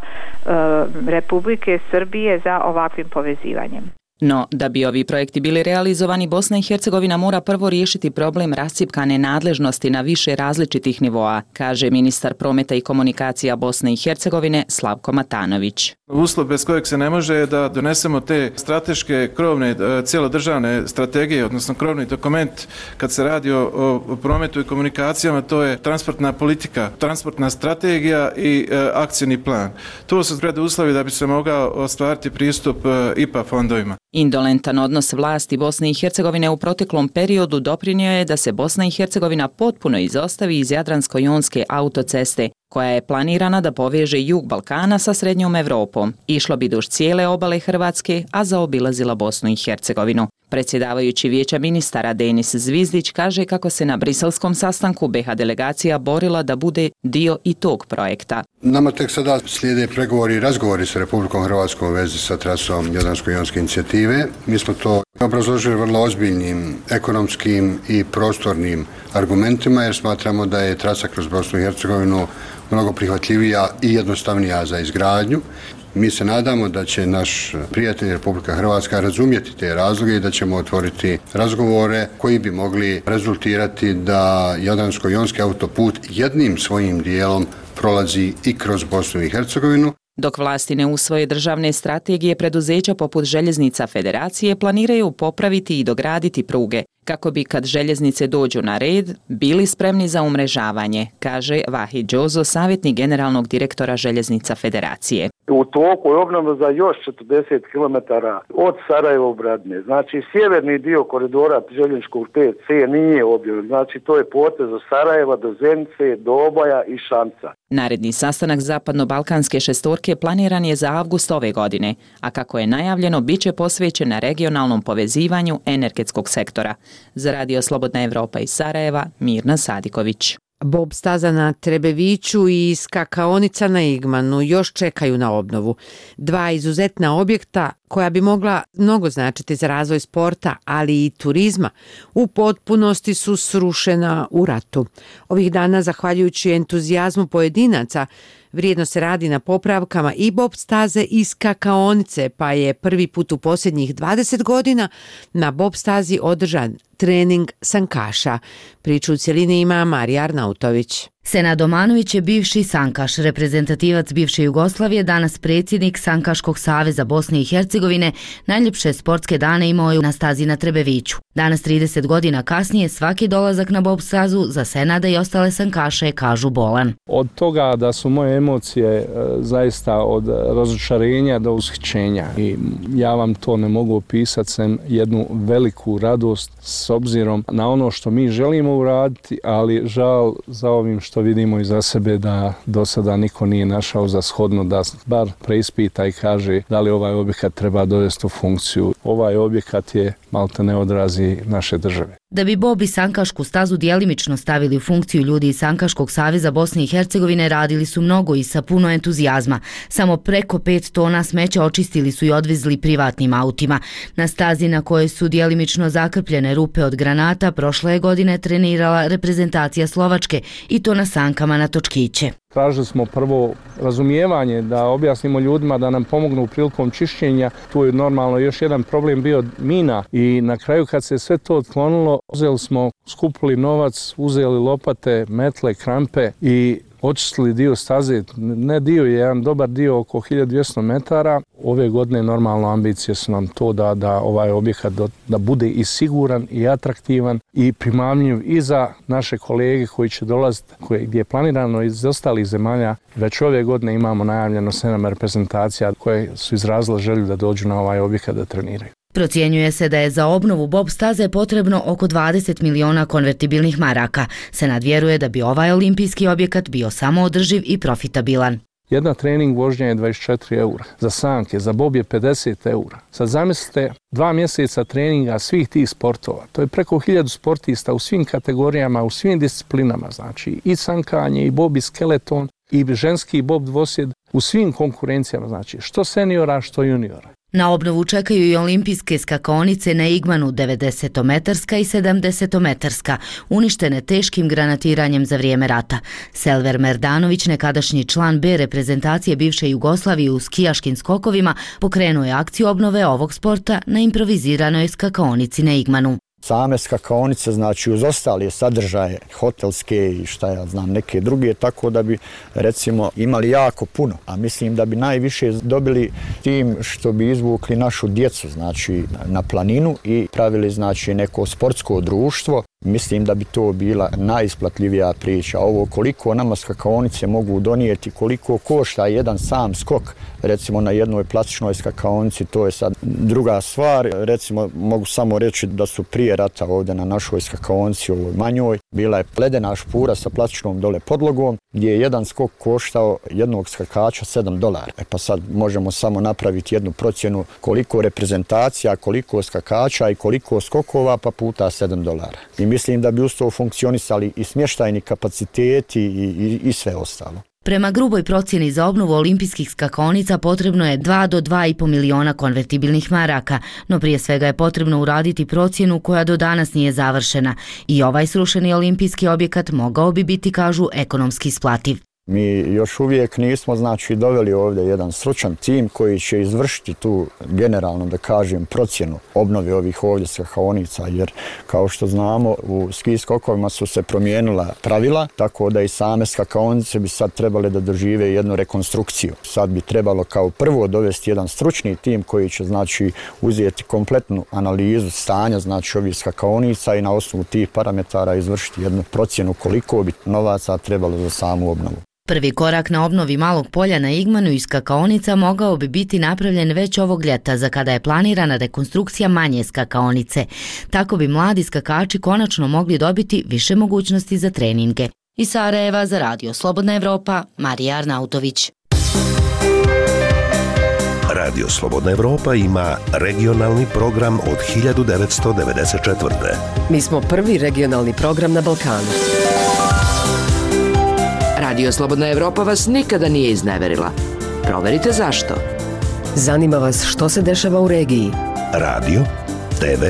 Republike Srbije za ovakvim povezivanjem. No, da bi ovi projekti bili realizovani, Bosna i Hercegovina mora prvo riješiti problem rascjepkane nadležnosti na više različitih nivoa, kaže ministar prometa i komunikacija Bosne i Hercegovine Slavko Matanović. Uslov bez kojeg se ne može je da donesemo te strateške krovne cijelodržavne strategije, odnosno krovni dokument kad se radi o prometu i komunikacijama, to je transportna politika, transportna strategija i akcijni plan. To su preduslovi da bi se mogao ostvariti pristup IPA fondovima. Indolentan odnos vlasti Bosne i Hercegovine u proteklom periodu doprinio je da se Bosna i Hercegovina potpuno izostavi iz Jadransko-jonske autoceste, koja je planirana da poveže jug Balkana sa srednjom Evropom. Išlo bi duž cijele obale Hrvatske, a zaobilazila Bosnu i Hercegovinu. Predsjedavajući Vijeća ministara Denis Zvizdić kaže kako se na briselskom sastanku BiH delegacija borila da bude dio i tog projekta. Nama tek sada slijede pregovori i razgovori sa Republikom Hrvatskom u vezi sa trasom Jadransko-jonske inicijative. Mi smo to obrazložili vrlo ozbiljnim ekonomskim i prostornim argumentima, jer smatramo da je trasa kroz Bosnu i Hercegovinu mnogo prihvatljivija i jednostavnija za izgradnju. Mi se nadamo da će naš prijatelj Republika Hrvatska razumjeti te razloge i da ćemo otvoriti razgovore koji bi mogli rezultirati da Jadransko-jonski autoput jednim svojim dijelom prolazi i kroz Bosnu i Hercegovinu. Dok vlasti ne usvoje državne strategije, preduzeća poput Željeznica Federacije planiraju popraviti i dograditi pruge, kako bi kad željeznice dođu na red, bili spremni za umrežavanje, kaže Vahid Đozo, savjetnik generalnog direktora Željeznica Federacije. U toku je obnova za još 40 km od Sarajeva u Bradne. Znači, sjeverni dio koridora željezničkog 5C nije objavljen. Znači, to je potez od Sarajeva do Zenice, do Oboja i Šamca. Naredni sastanak Zapadno-Balkanske šestorke planiran je za avgust ove godine, a kako je najavljeno, bit će posvećen na regionalnom povezivanju energetskog sektora. Za Radio Slobodna Evropa iz Sarajeva, Mirna Sadiković. Bob staza na Trebeviću i skakaonica na Igmanu još čekaju na obnovu. Dva izuzetna objekta koja bi mogla mnogo značiti za razvoj sporta, ali i turizma, u potpunosti su srušena u ratu. Ovih dana, zahvaljujući entuzijazmu pojedinaca, vrijedno se radi na popravkama i bob staze i skakaonice, pa je prvi put u posljednjih 20 godina na bob stazi održan trening sankaša. Priču u cjelini ima Marija Arnautović. Senad Domanović je bivši sankaš, reprezentativac bivše Jugoslavije, danas predsjednik Sankaškog saveza Bosne i Hercegovine, najljepše sportske dane imao je na stazi na Trebeviću. Danas 30 godina kasnije svaki dolazak na bob stazu za Senada i ostale sankaše kažu bolan. Od toga da su moje emocije zaista od razočarenja do ushićenja i ja vam to ne mogu opisati sem jednu veliku radost s obzirom na ono što mi želimo uraditi, ali žal za ovim što vidimo iza sebe da do sada niko nije našao za shodno da bar preispita i kaže da li ovaj objekat treba dovesti u funkciju. Ovaj objekat je maltene odrazi naše države. Da bi bob i sankašku stazu djelimično stavili u funkciju, ljudi iz Sankaškog saveza Bosne i Hercegovine radili su mnogo i sa puno entuzijazma. Samo preko 5 tona smeća očistili su i odvezli privatnim autima. Na stazi na kojoj su djelimično zakrpljene rupe od granata prošle godine trenirala reprezentacija Slovačke i to na sankama na točkiće. Tražili smo prvo razumijevanje da objasnimo ljudima da nam pomognu prilikom čišćenja. Tu je normalno još jedan problem bio mina i na kraju kad se sve to otklonilo, uzeli smo, skupili novac, uzeli lopate, metle, krampe i očistili dio staze, ne dio, je jedan dobar dio oko 1200 metara. Ove godine normalno ambicije su nam to da ovaj objekat da bude i siguran i atraktivan i primamljiv i za naše kolege koji će dolaziti, gdje je planirano iz ostalih zemalja. Već ove godine imamo najavljeno 7 reprezentacija koje su izrazile želju da dođu na ovaj objekat da treniraju. Procjenjuje se da je za obnovu bob staze potrebno oko 20 miliona konvertibilnih maraka. Senad vjeruje da bi ovaj olimpijski objekat bio samoodrživ i profitabilan. Jedna trening vožnja je 24 eura, za sanke, za bob je 50 eura. Sad zamislite 2 mjeseca treninga svih tih sportova. To je preko 1000 sportista u svim kategorijama, u svim disciplinama. Znači i sankanje, i bob, i skeleton, i ženski bob dvosjed u svim konkurencijama. Znači što seniora, što juniora. Na obnovu čekaju i olimpijske skakaonice na Igmanu 90-metarska i 70-metarska, uništene teškim granatiranjem za vrijeme rata. Selver Merdanović, nekadašnji član B reprezentacije bivše Jugoslavije u skijaškim skokovima, pokrenuo je akciju obnove ovog sporta na improviziranoj skakaonici na Igmanu. Same skakaonice, znači uz ostale sadržaje, hotelske i šta ja znam, neke druge, tako da bi recimo imali jako puno. A mislim da bi najviše dobili tim što bi izvukli našu djecu, znači na planinu i pravili znači neko sportsko društvo. Mislim da bi to bila najisplatljivija priča. Ovo koliko nama skakaonice mogu donijeti, koliko košta jedan sam skok, recimo na jednoj plastičnoj skakaonici, to je sad druga stvar. Recimo mogu samo reći da su prije rata ovdje na našoj skakaonici, ovoj manjoj, bila je ledena špura sa plastičnom dole podlogom, gdje je jedan skok koštao jednog skakača $7. Pa sad možemo samo napraviti jednu procjenu koliko reprezentacija, koliko skakača i koliko skokova, pa puta $7. I mislim da bi uz to funkcionisali i smještajni kapaciteti i sve ostalo. Prema gruboj procjeni za obnovu olimpijskih skakaonica potrebno je 2 do 2,5 miliona konvertibilnih maraka, no prije svega je potrebno uraditi procjenu koja do danas nije završena i ovaj srušeni olimpijski objekat mogao bi biti, kažu, ekonomski isplativ. Mi još uvijek nismo doveli ovdje jedan stručan tim koji će izvršiti tu generalno, da kažem, procjenu obnove ovih ovdje skakaonica, jer kao što znamo u ski skokovima su se promijenila pravila, tako da i same skakaonice bi sad trebale da dožive jednu rekonstrukciju. Sad bi trebalo kao prvo dovesti jedan stručni tim koji će uzeti kompletnu analizu stanja ovih skakaonica i na osnovu tih parametara izvršiti jednu procjenu koliko bi novaca trebalo za samu obnovu. Prvi korak na obnovi Malog polja na Igmanu i skakaonica mogao bi biti napravljen već ovog ljeta, za kada je planirana rekonstrukcija manje skakaonice. Tako bi mladi skakači konačno mogli dobiti više mogućnosti za treninge. Iz Sarajeva za Radio Slobodna Evropa, Marija Arnautović. Radio Slobodna Evropa ima regionalni program od 1994. Mi smo prvi regionalni program na Balkanu. Radio Slobodna Evropa vas nikada nije izneverila. Proverite zašto. Zanima vas što se dešava u regiji. Radio, TV,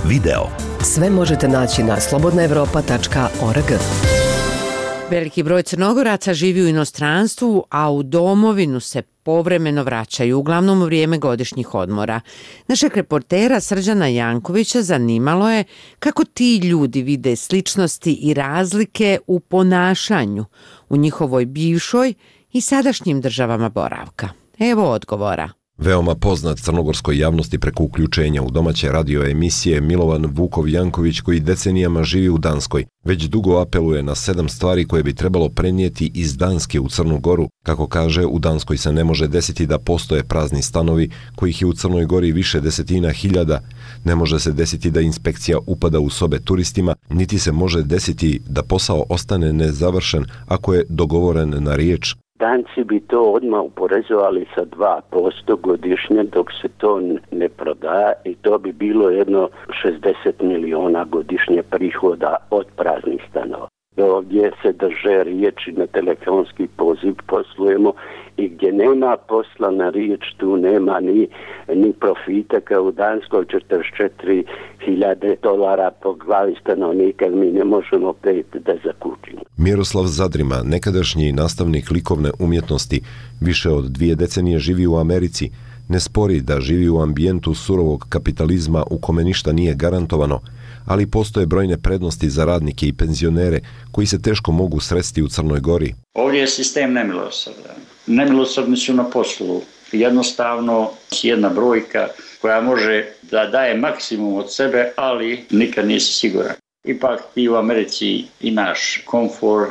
video. Sve možete naći na slobodnaevropa.org. Veliki broj Crnogoraca živi u inostranstvu, a u domovinu se povremeno vraćaju, uglavnom u vrijeme godišnjih odmora. Našeg reportera Srđana Jankovića zanimalo je kako ti ljudi vide sličnosti i razlike u ponašanju u njihovoj bivšoj i sadašnjim državama boravka. Evo odgovora. Veoma poznat crnogorskoj javnosti preko uključenja u domaće radio emisije Milovan Vukov Janković, koji decenijama živi u Danskoj, već dugo apeluje na 7 stvari koje bi trebalo prenijeti iz Danske u Crnu Goru. Kako kaže, u Danskoj se ne može desiti da postoje prazni stanovi, kojih je u Crnoj Gori više desetina hiljada. Ne može se desiti da inspekcija upada u sobe turistima, niti se može desiti da posao ostane nezavršen ako je dogovoren na riječ. Danci bi to odmah uporezovali sa 2% godišnje dok se to ne proda i to bi bilo jedno 60 miliona godišnje prihoda od praznih stanova. Ovdje se drže riječi, na telefonski poziv poslujemo i gdje nema posla na riječ, tu nema ni profita kao u Danskoj. 44.000 dolara po glavi stanovnika, mi ne možemo pet da zakučimo. Miroslav Zadrima, nekadašnji nastavnik likovne umjetnosti, više od 2 decenije živi u Americi. Ne spori da živi u ambijentu surovog kapitalizma u kome ništa nije garantovano, ali postoje brojne prednosti za radnike i penzionere koji se teško mogu sresti u Crnoj Gori. Ovdje je sistem nemilosrdan. Nemilosrdni su na poslu. Jednostavno jedna brojka koja može da daje maksimum od sebe, ali nikad nisi siguran. Ipak ti u Americi imaš komfor,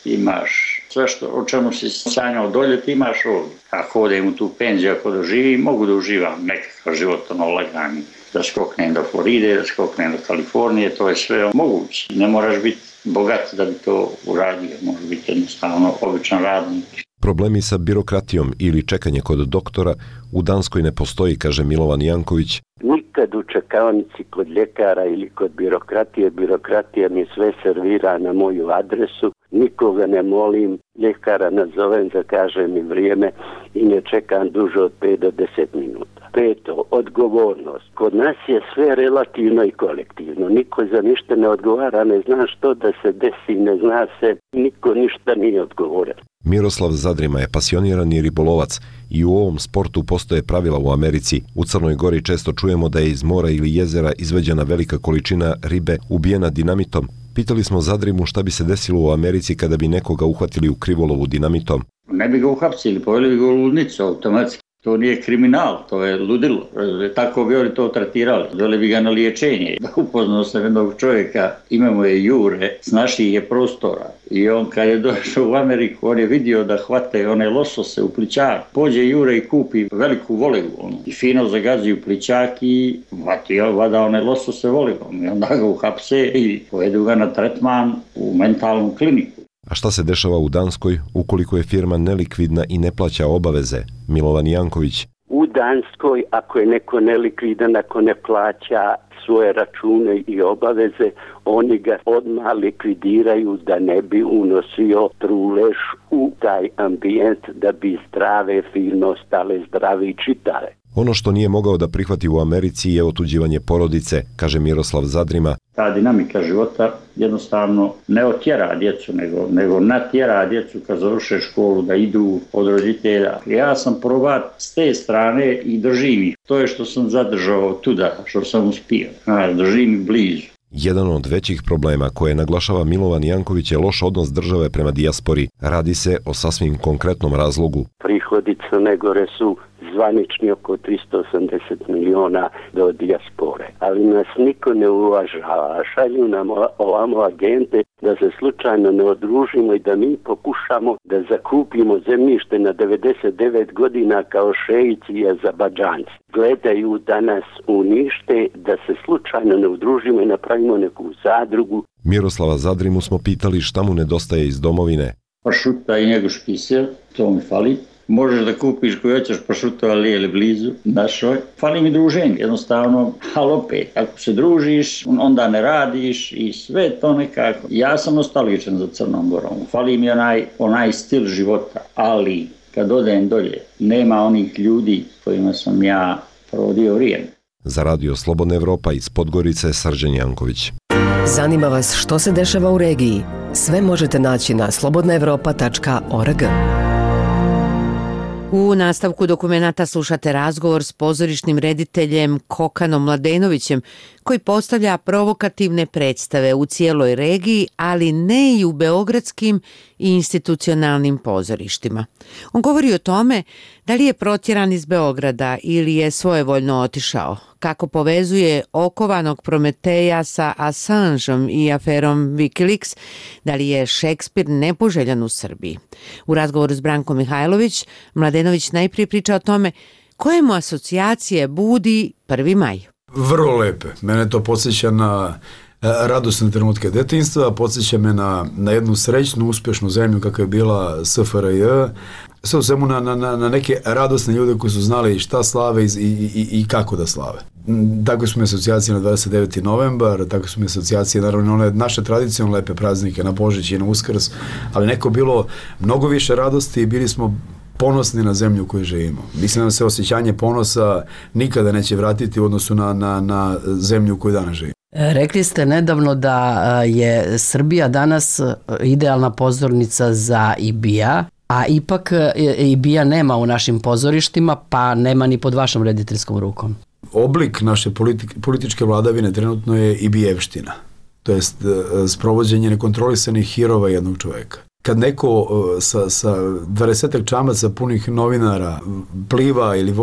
imaš sve o čemu si sanjao doljeti, imaš ovdje. Ako odem u tu penziju, ako doživim, mogu da uživam nekakav život lagani. Da skoknem do Floride, da skoknem do Kalifornije, to je sve moguće. Ne moraš biti bogat da bi to uradio, može biti jednostavno običan radnik. Problemi sa birokratijom ili čekanje kod doktora u Danskoj ne postoji, kaže Milovan Janković. Nikad u čekaonici kod ljekara ili kod birokratija mi sve servira na moju adresu, nikoga ne molim, ljekara nazovem, zakaže mi vrijeme i ne čekam duže od 5 do 10 minuta. 5. Odgovornost. Kod nas je sve relativno i kolektivno. Niko za ništa ne odgovara, ne zna što da se desi, ne zna se, niko ništa nije odgovoran. Miroslav Zadrima je pasionirani ribolovac i u ovom sportu postoje pravila u Americi. U Crnoj Gori često čujemo da je iz mora ili jezera izveđena velika količina ribe ubijena dinamitom. Pitali smo Zadrimu šta bi se desilo u Americi kada bi nekoga uhvatili u krivolovu dinamitom. Ne bi ga uhapsili, poveli bi ga u ludnicu automatski. To nije kriminal, to je ludilo. Tako bi oni to tretirali. Dole bi ga na liječenje. Upoznao sam jednog čovjeka, imamo je Jure, s naših je prostora. I on kad je došao u Ameriku, on je vidio da hvate one losose u plićak. Pođe Jure i kupi veliku volegu. I fino zagazi u plićak i vada one losose volegom. I onda ga uhapse i povedu ga na tretman u mentalnu kliniku. A šta se dešava u Danskoj ukoliko je firma nelikvidna i ne plaća obaveze? Milovan Janković. U Danskoj, ako je neko nelikvidan, ako ne plaća svoje račune i obaveze, oni ga odmah likvidiraju da ne bi unosio trulež u taj ambijent, da bi zdrave firme ostale zdrave i čitave. Ono što nije mogao da prihvati u Americi je otuđivanje porodice, kaže Miroslav Zadrima. Ta dinamika života jednostavno ne otjera djecu, nego natjera djecu kad završe školu da idu od roditelja. Ja sam probat s te strane i držim ih. To je što sam zadržao tuda, što sam uspio. Držim ih blizu. Jedan od većih problema koje naglašava Milovan Janković je loš odnos države prema dijaspori. Radi se o sasvim konkretnom razlogu. Prihodi Crne Gore su zvanični oko 380 miliona do dijaspore. Ali nas niko ne uvažava. Šalju nam ovamo agente da se slučajno ne odružimo i da mi pokušamo da zakupimo zemljište na 99 godina kao šeici i Azerbajdžanci. Gledaju da nas unište, da se slučajno ne udružimo i napravimo neku zadrugu. Miroslava Zadrimu smo pitali šta mu nedostaje iz domovine. Pašuta i njegov špisel, to mi fali. Možeš da kupiš koji hoćeš pašuto, ali je blizu našoj. Fali mi druženje, jednostavno, ali opet, ako se družiš, onda ne radiš i sve to nekako. Ja sam nostalgičan za Crnom Gorom, fali mi onaj stil života, ali kad odem dolje, nema onih ljudi kojima sam ja provodio vrijeme. Za Radio Slobodna Evropa iz Podgorice, Srđan Janković. Zanima vas što se dešava u regiji? Sve možete naći na slobodnaevropa.org. U nastavku dokumenata slušate razgovor s pozorišnim rediteljem Kokanom Mladenovićem, koji postavlja provokativne predstave u cijeloj regiji, ali ne i u beogradskim i institucionalnim pozorištima. On govori o tome da li je protjeran iz Beograda ili je svojevoljno otišao, kako povezuje okovanog Prometeja sa Assangeom i aferom Wikileaks, da li je Šekspir nepoželjan u Srbiji. U razgovoru s Brankom Mihajlović, Mladenović najprije priča o tome koje mu asocijacije budi 1. maj. Vrlo lepe. Mene to podsjeća na radosne trenutke detinjstva, podsjeća me na jednu srećnu, uspješnu zemlju kakva je bila SFRJ, sve u svemu na neke radosne ljude koji su znali šta slave i kako da slave. Tako su mi asocijacije na 29. novembar, tako su mi asocijacije naravno one naše tradicionalne lepe praznike na Božić i na Uskrs, ali neko bilo mnogo više radosti i bili smo ponosni na zemlju u kojoj živimo. Mislim da se osjećanje ponosa nikada neće vratiti u odnosu na zemlju u kojoj danas živimo. Rekli ste nedavno da je Srbija danas idealna pozornica za IBIA, a ipak IBIA nema u našim pozorištima, pa nema ni pod vašom rediteljskom rukom. Oblik naše političke vladavine trenutno je IBIjevština, to jest sprovođenje nekontrolisanih hirova jednog čovjeka. Kad neko sa 20 čamaca punih novinara pliva ili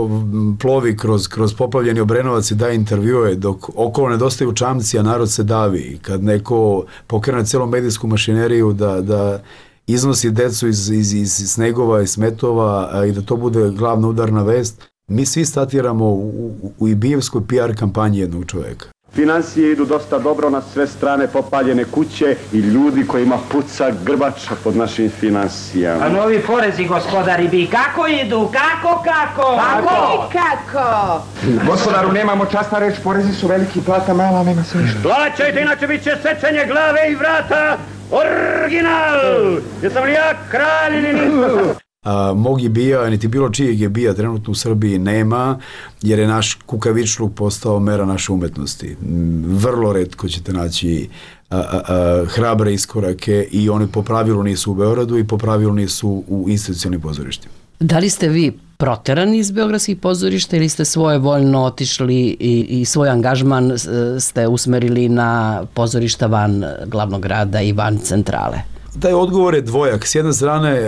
plovi kroz poplavljeni Obrenovac i daje intervjue dok okolo nedostaju čamci, a narod se davi. Kad neko pokrene cijelu medijsku mašineriju da iznosi decu iz snegova i smetova i da to bude glavna udarna vest, mi svi statiramo u ibijevskoj PR kampanji jednog čovjeka. Financije idu dosta dobro, na sve strane popaljene kuće i ljudi kojima puca grbača pod našim financijama. A novi porezi, gospodari, bi kako idu? Kako? Gospodaru, nemamo časna reč, porezi su veliki, plata mala, nema se ništa. Plaćajte, inače bit će sečenje glave i vrata. Original! Jesam li ja kralj ili nisam? Mog IBIA, niti bilo čijeg IBIA trenutno u Srbiji nema, jer je naš kukavičluk postao mera naše umetnosti. Vrlo retko ćete naći hrabre iskorake i oni po pravilu nisu u Beogradu i po pravilu nisu u institucionalnim pozorištima. Da li ste vi proterani iz beogradskih pozorišta ili ste svojevoljno otišli i svoj angažman ste usmerili na pozorišta van glavnog grada i van centrale? Taj odgovor je dvojak. S jedne strane,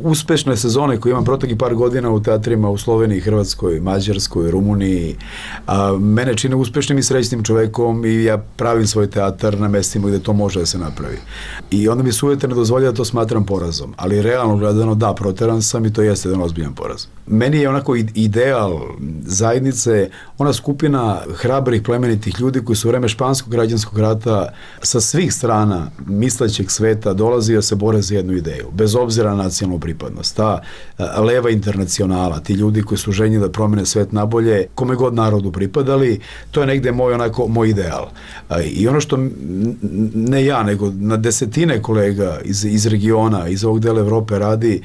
uspešne sezone koje imam proteklih par godina u teatrima u Sloveniji, Hrvatskoj, Mađarskoj, Rumuniji, mene čine uspešnim i srećnim čovekom i ja pravim svoj teatar na mestima gdje to može da se napravi. I onda mi sujete ne dozvolja da to smatram porazom. Ali realno gledano, da, proteran sam i to jeste jedan ozbiljan poraz. Meni je onako ideal zajednice, ona skupina hrabrih plemenitih ljudi koji su u vreme Španskog građanskog rata sa svih strana mislećeg sveta sveta dolazi da se bore za jednu ideju, bez obzira na nacionalnu pripadnost. Ta leva internacionala, ti ljudi koji su željni da promene svet nabolje, kome god narodu pripadali, to je negde moj ideal. I ono što ne ja, nego na desetine kolega iz regiona, iz ovog dela Evrope radi,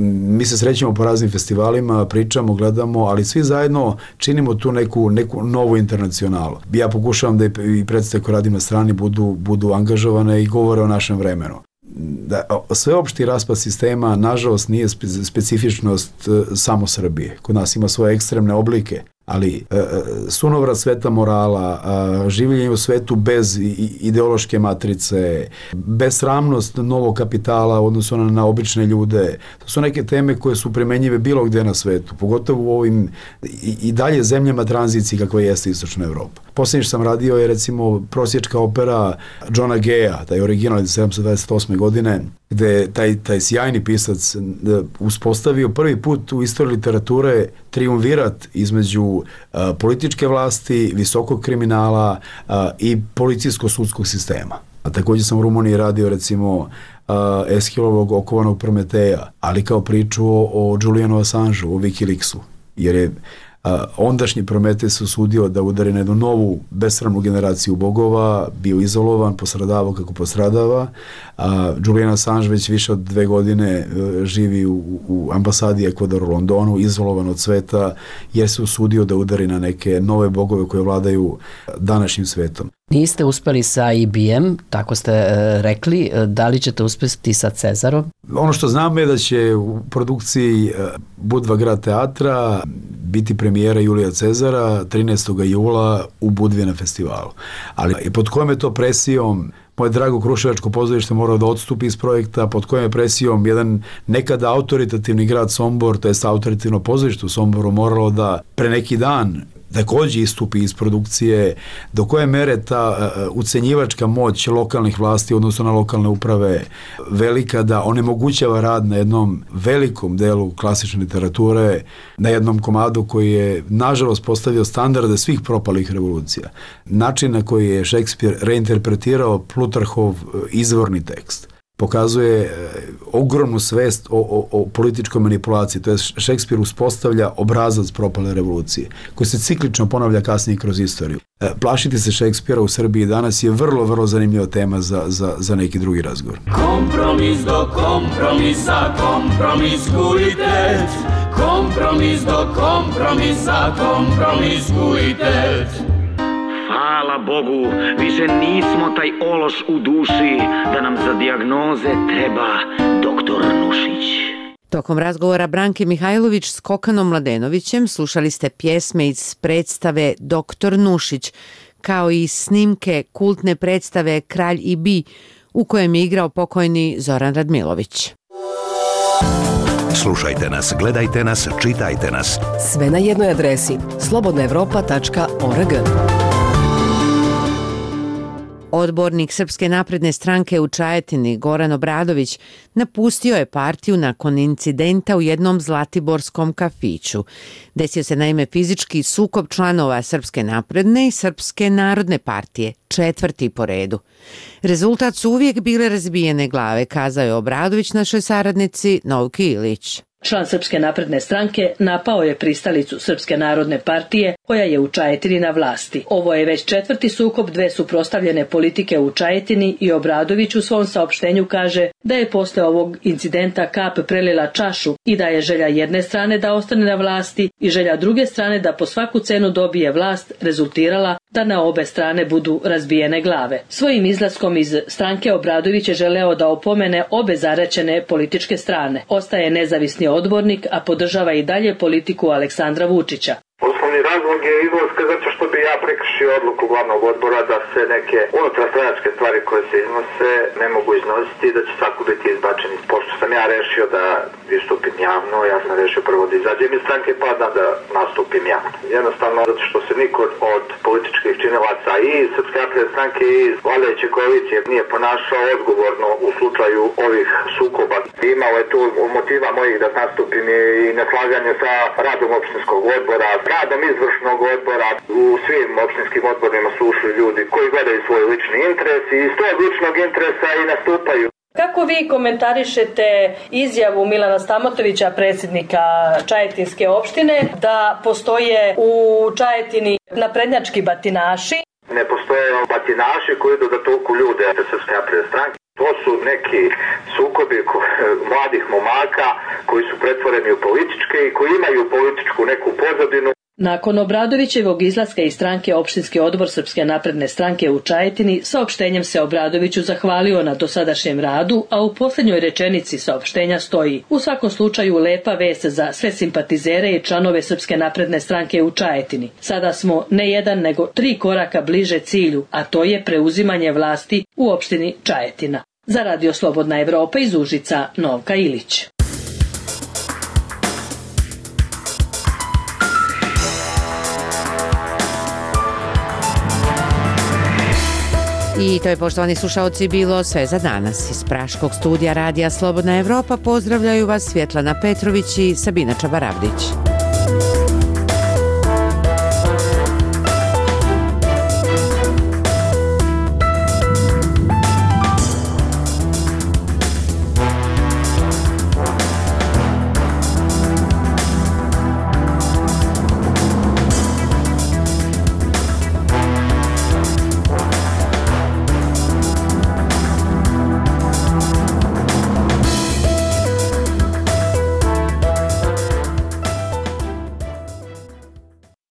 mi se srećemo po raznim festivalima, pričamo, gledamo, ali svi zajedno činimo tu neku novu internacionalu. Ja pokušavam da i predstave koje radim na strani budu angažovane i govore o našem vremenu. Sveopšti raspad sistema, nažalost, nije specifičnost samo Srbije. Kod nas ima svoje ekstremne oblike, ali sunovrat sveta morala, življenje u svetu bez ideološke matrice, besramnost novog kapitala u odnosu na obične ljude, to su neke teme koje su primenjive bilo gde na svetu, pogotovo u ovim i dalje zemljama tranzicije kakva jeste Istočna Evropa. Posljednje što sam radio je recimo prosječka opera Johna Gaya, taj original iz 1728. godine, gde taj sjajni pisac uspostavio prvi put u istoriji literature triumvirat između političke vlasti, visokog kriminala i policijsko-sudskog sistema. A također sam u Rumuniji radio recimo Eschilovog okovanog Prometeja, ali kao priču o Julianu Assangeu, o Wikileaksu, jer je ondašnji Prometej se usudio da udari na jednu novu besramnu generaciju bogova, bio izolovan, postradavao kako postradava. Julian Assange već više od 2 godine živi u ambasadi Ekvadora u Londonu, izolovan od sveta, jer se usudio da udari na neke nove bogove koje vladaju današnjim svetom. Niste uspeli sa IBM, tako ste rekli, da li ćete uspjeti sa Cezarom? Ono što znam je da će u produkciji Budva grad teatra biti premijera Julija Cezara 13. jula u Budvi na festivalu. Ali pod kojom je to presijom moje drago Kruševačko pozorište morao da odstupi iz projekta, pod kojom je presijom jedan nekada autoritativni grad Sombor, to je autoritativno pozorište u Somboru, moralo da pre neki dan također istupi iz produkcije, do koje mere ta ucenjivačka moć lokalnih vlasti, odnosno na lokalne uprave, velika da onemogućava rad na jednom velikom delu klasične literature, na jednom komadu koji je, nažalost, postavio standarde svih propalih revolucija. Način na koji je Šekspir reinterpretirao Plutarhov izvorni tekst pokazuje ogromnu svest o političkoj manipulaciji. To je Šekspir uspostavlja obrazac propale revolucije, koji se ciklično ponavlja kasnije kroz istoriju. Plašiti se Šekspira u Srbiji danas je vrlo, vrlo zanimljiva tema za neki drugi razgovor. Kompromis do kompromisa, kompromiskujte. Kompromis do kompromisa, kompromiskujte. Hvala Bogu, više nismo taj ološ u duši, da nam za dijagnoze treba doktor Nušić. Tokom razgovora Branke Mihajlović s Kokanom Mladenovićem slušali ste pjesme iz predstave Doktor Nušić, kao i snimke kultne predstave Kralj i Bi, u kojem je igrao pokojni Zoran Radmilović. Slušajte nas, gledajte nas, čitajte nas. Sve na jednoj adresi slobodnaevropa.org. Odbornik Srpske napredne stranke u Čajetini, Goran Obradović, napustio je partiju nakon incidenta u jednom zlatiborskom kafiću. Desio se naime fizički sukob članova Srpske napredne i Srpske narodne partije, 4. po redu. Rezultat su uvijek bile razbijene glave, kazao je Obradović našoj saradnici Novki Ilić. Član Srpske napredne stranke napao je pristalicu Srpske narodne partije koja je u Čajetini na vlasti. Ovo je već 4. sukob dve suprotstavljene politike u Čajetini i Obradović u svom saopštenju kaže da je posle ovog incidenta kap prelila čašu i da je želja jedne strane da ostane na vlasti i želja druge strane da po svaku cenu dobije vlast rezultirala da na obe strane budu razbijene glave. Svojim izlaskom iz stranke Obradović je želeo da opomene obe zaraćene političke strane. Ostaje nezavisni odbornik, a podržava i dalje politiku Aleksandra Vučića. Osnovni razlog je izlaska zato što bi ja prekršio odluku glavnog odbora da se neke unutarstranačke stvari koje se iznose ne mogu iznositi i da će svako biti izbačeni. Pošto sam ja rešio da istupim javno, ja sam rešio prvo da izađem iz stranke pa da nastupim javno. Jednostavno zato što se niko od političkih činilaca i Srpske napredne stranke i vladajuće koalicije nije ponašao odgovorno u slučaju ovih sukoba. Imao je tu motiva mojih da nastupim i neslaganje sa radom opštinskog odbora, radom izvršnog odbora. U svim opštinskim odborima su ušli ljudi koji gledaju svoj lični interes i iz tog ličnog interesa i nastupaju. Kako vi komentarišete izjavu Milana Stamotovića, predsjednika Čajetinske opštine, da postoje u Čajetini naprednjački batinaši? Ne postoje batinaši koji idu da tuku ljude Srpske napredne stranke. To su neki sukobi mladih momaka koji su pretvoreni u političke i koji imaju političku neku pozadinu. Nakon Obradovićevog izlaska iz stranke opštinski odbor Srpske napredne stranke u Čajetini saopštenjem se Obradoviću zahvalio na dosadašnjem radu, a u posljednjoj rečenici saopštenja stoji: u svakom slučaju lepa vest za sve simpatizere i članove Srpske napredne stranke u Čajetini. Sada smo ne jedan nego 3 koraka bliže cilju, a to je preuzimanje vlasti u opštini Čajetina. Za Radio Slobodna Evropa iz Užica, Novka Ilić. I to je, poštovani slušaoci, bilo sve za danas. Iz praškog studija Radija Slobodna Evropa pozdravljaju vas Svjetlana Petrović i Sabina Čabaravdić.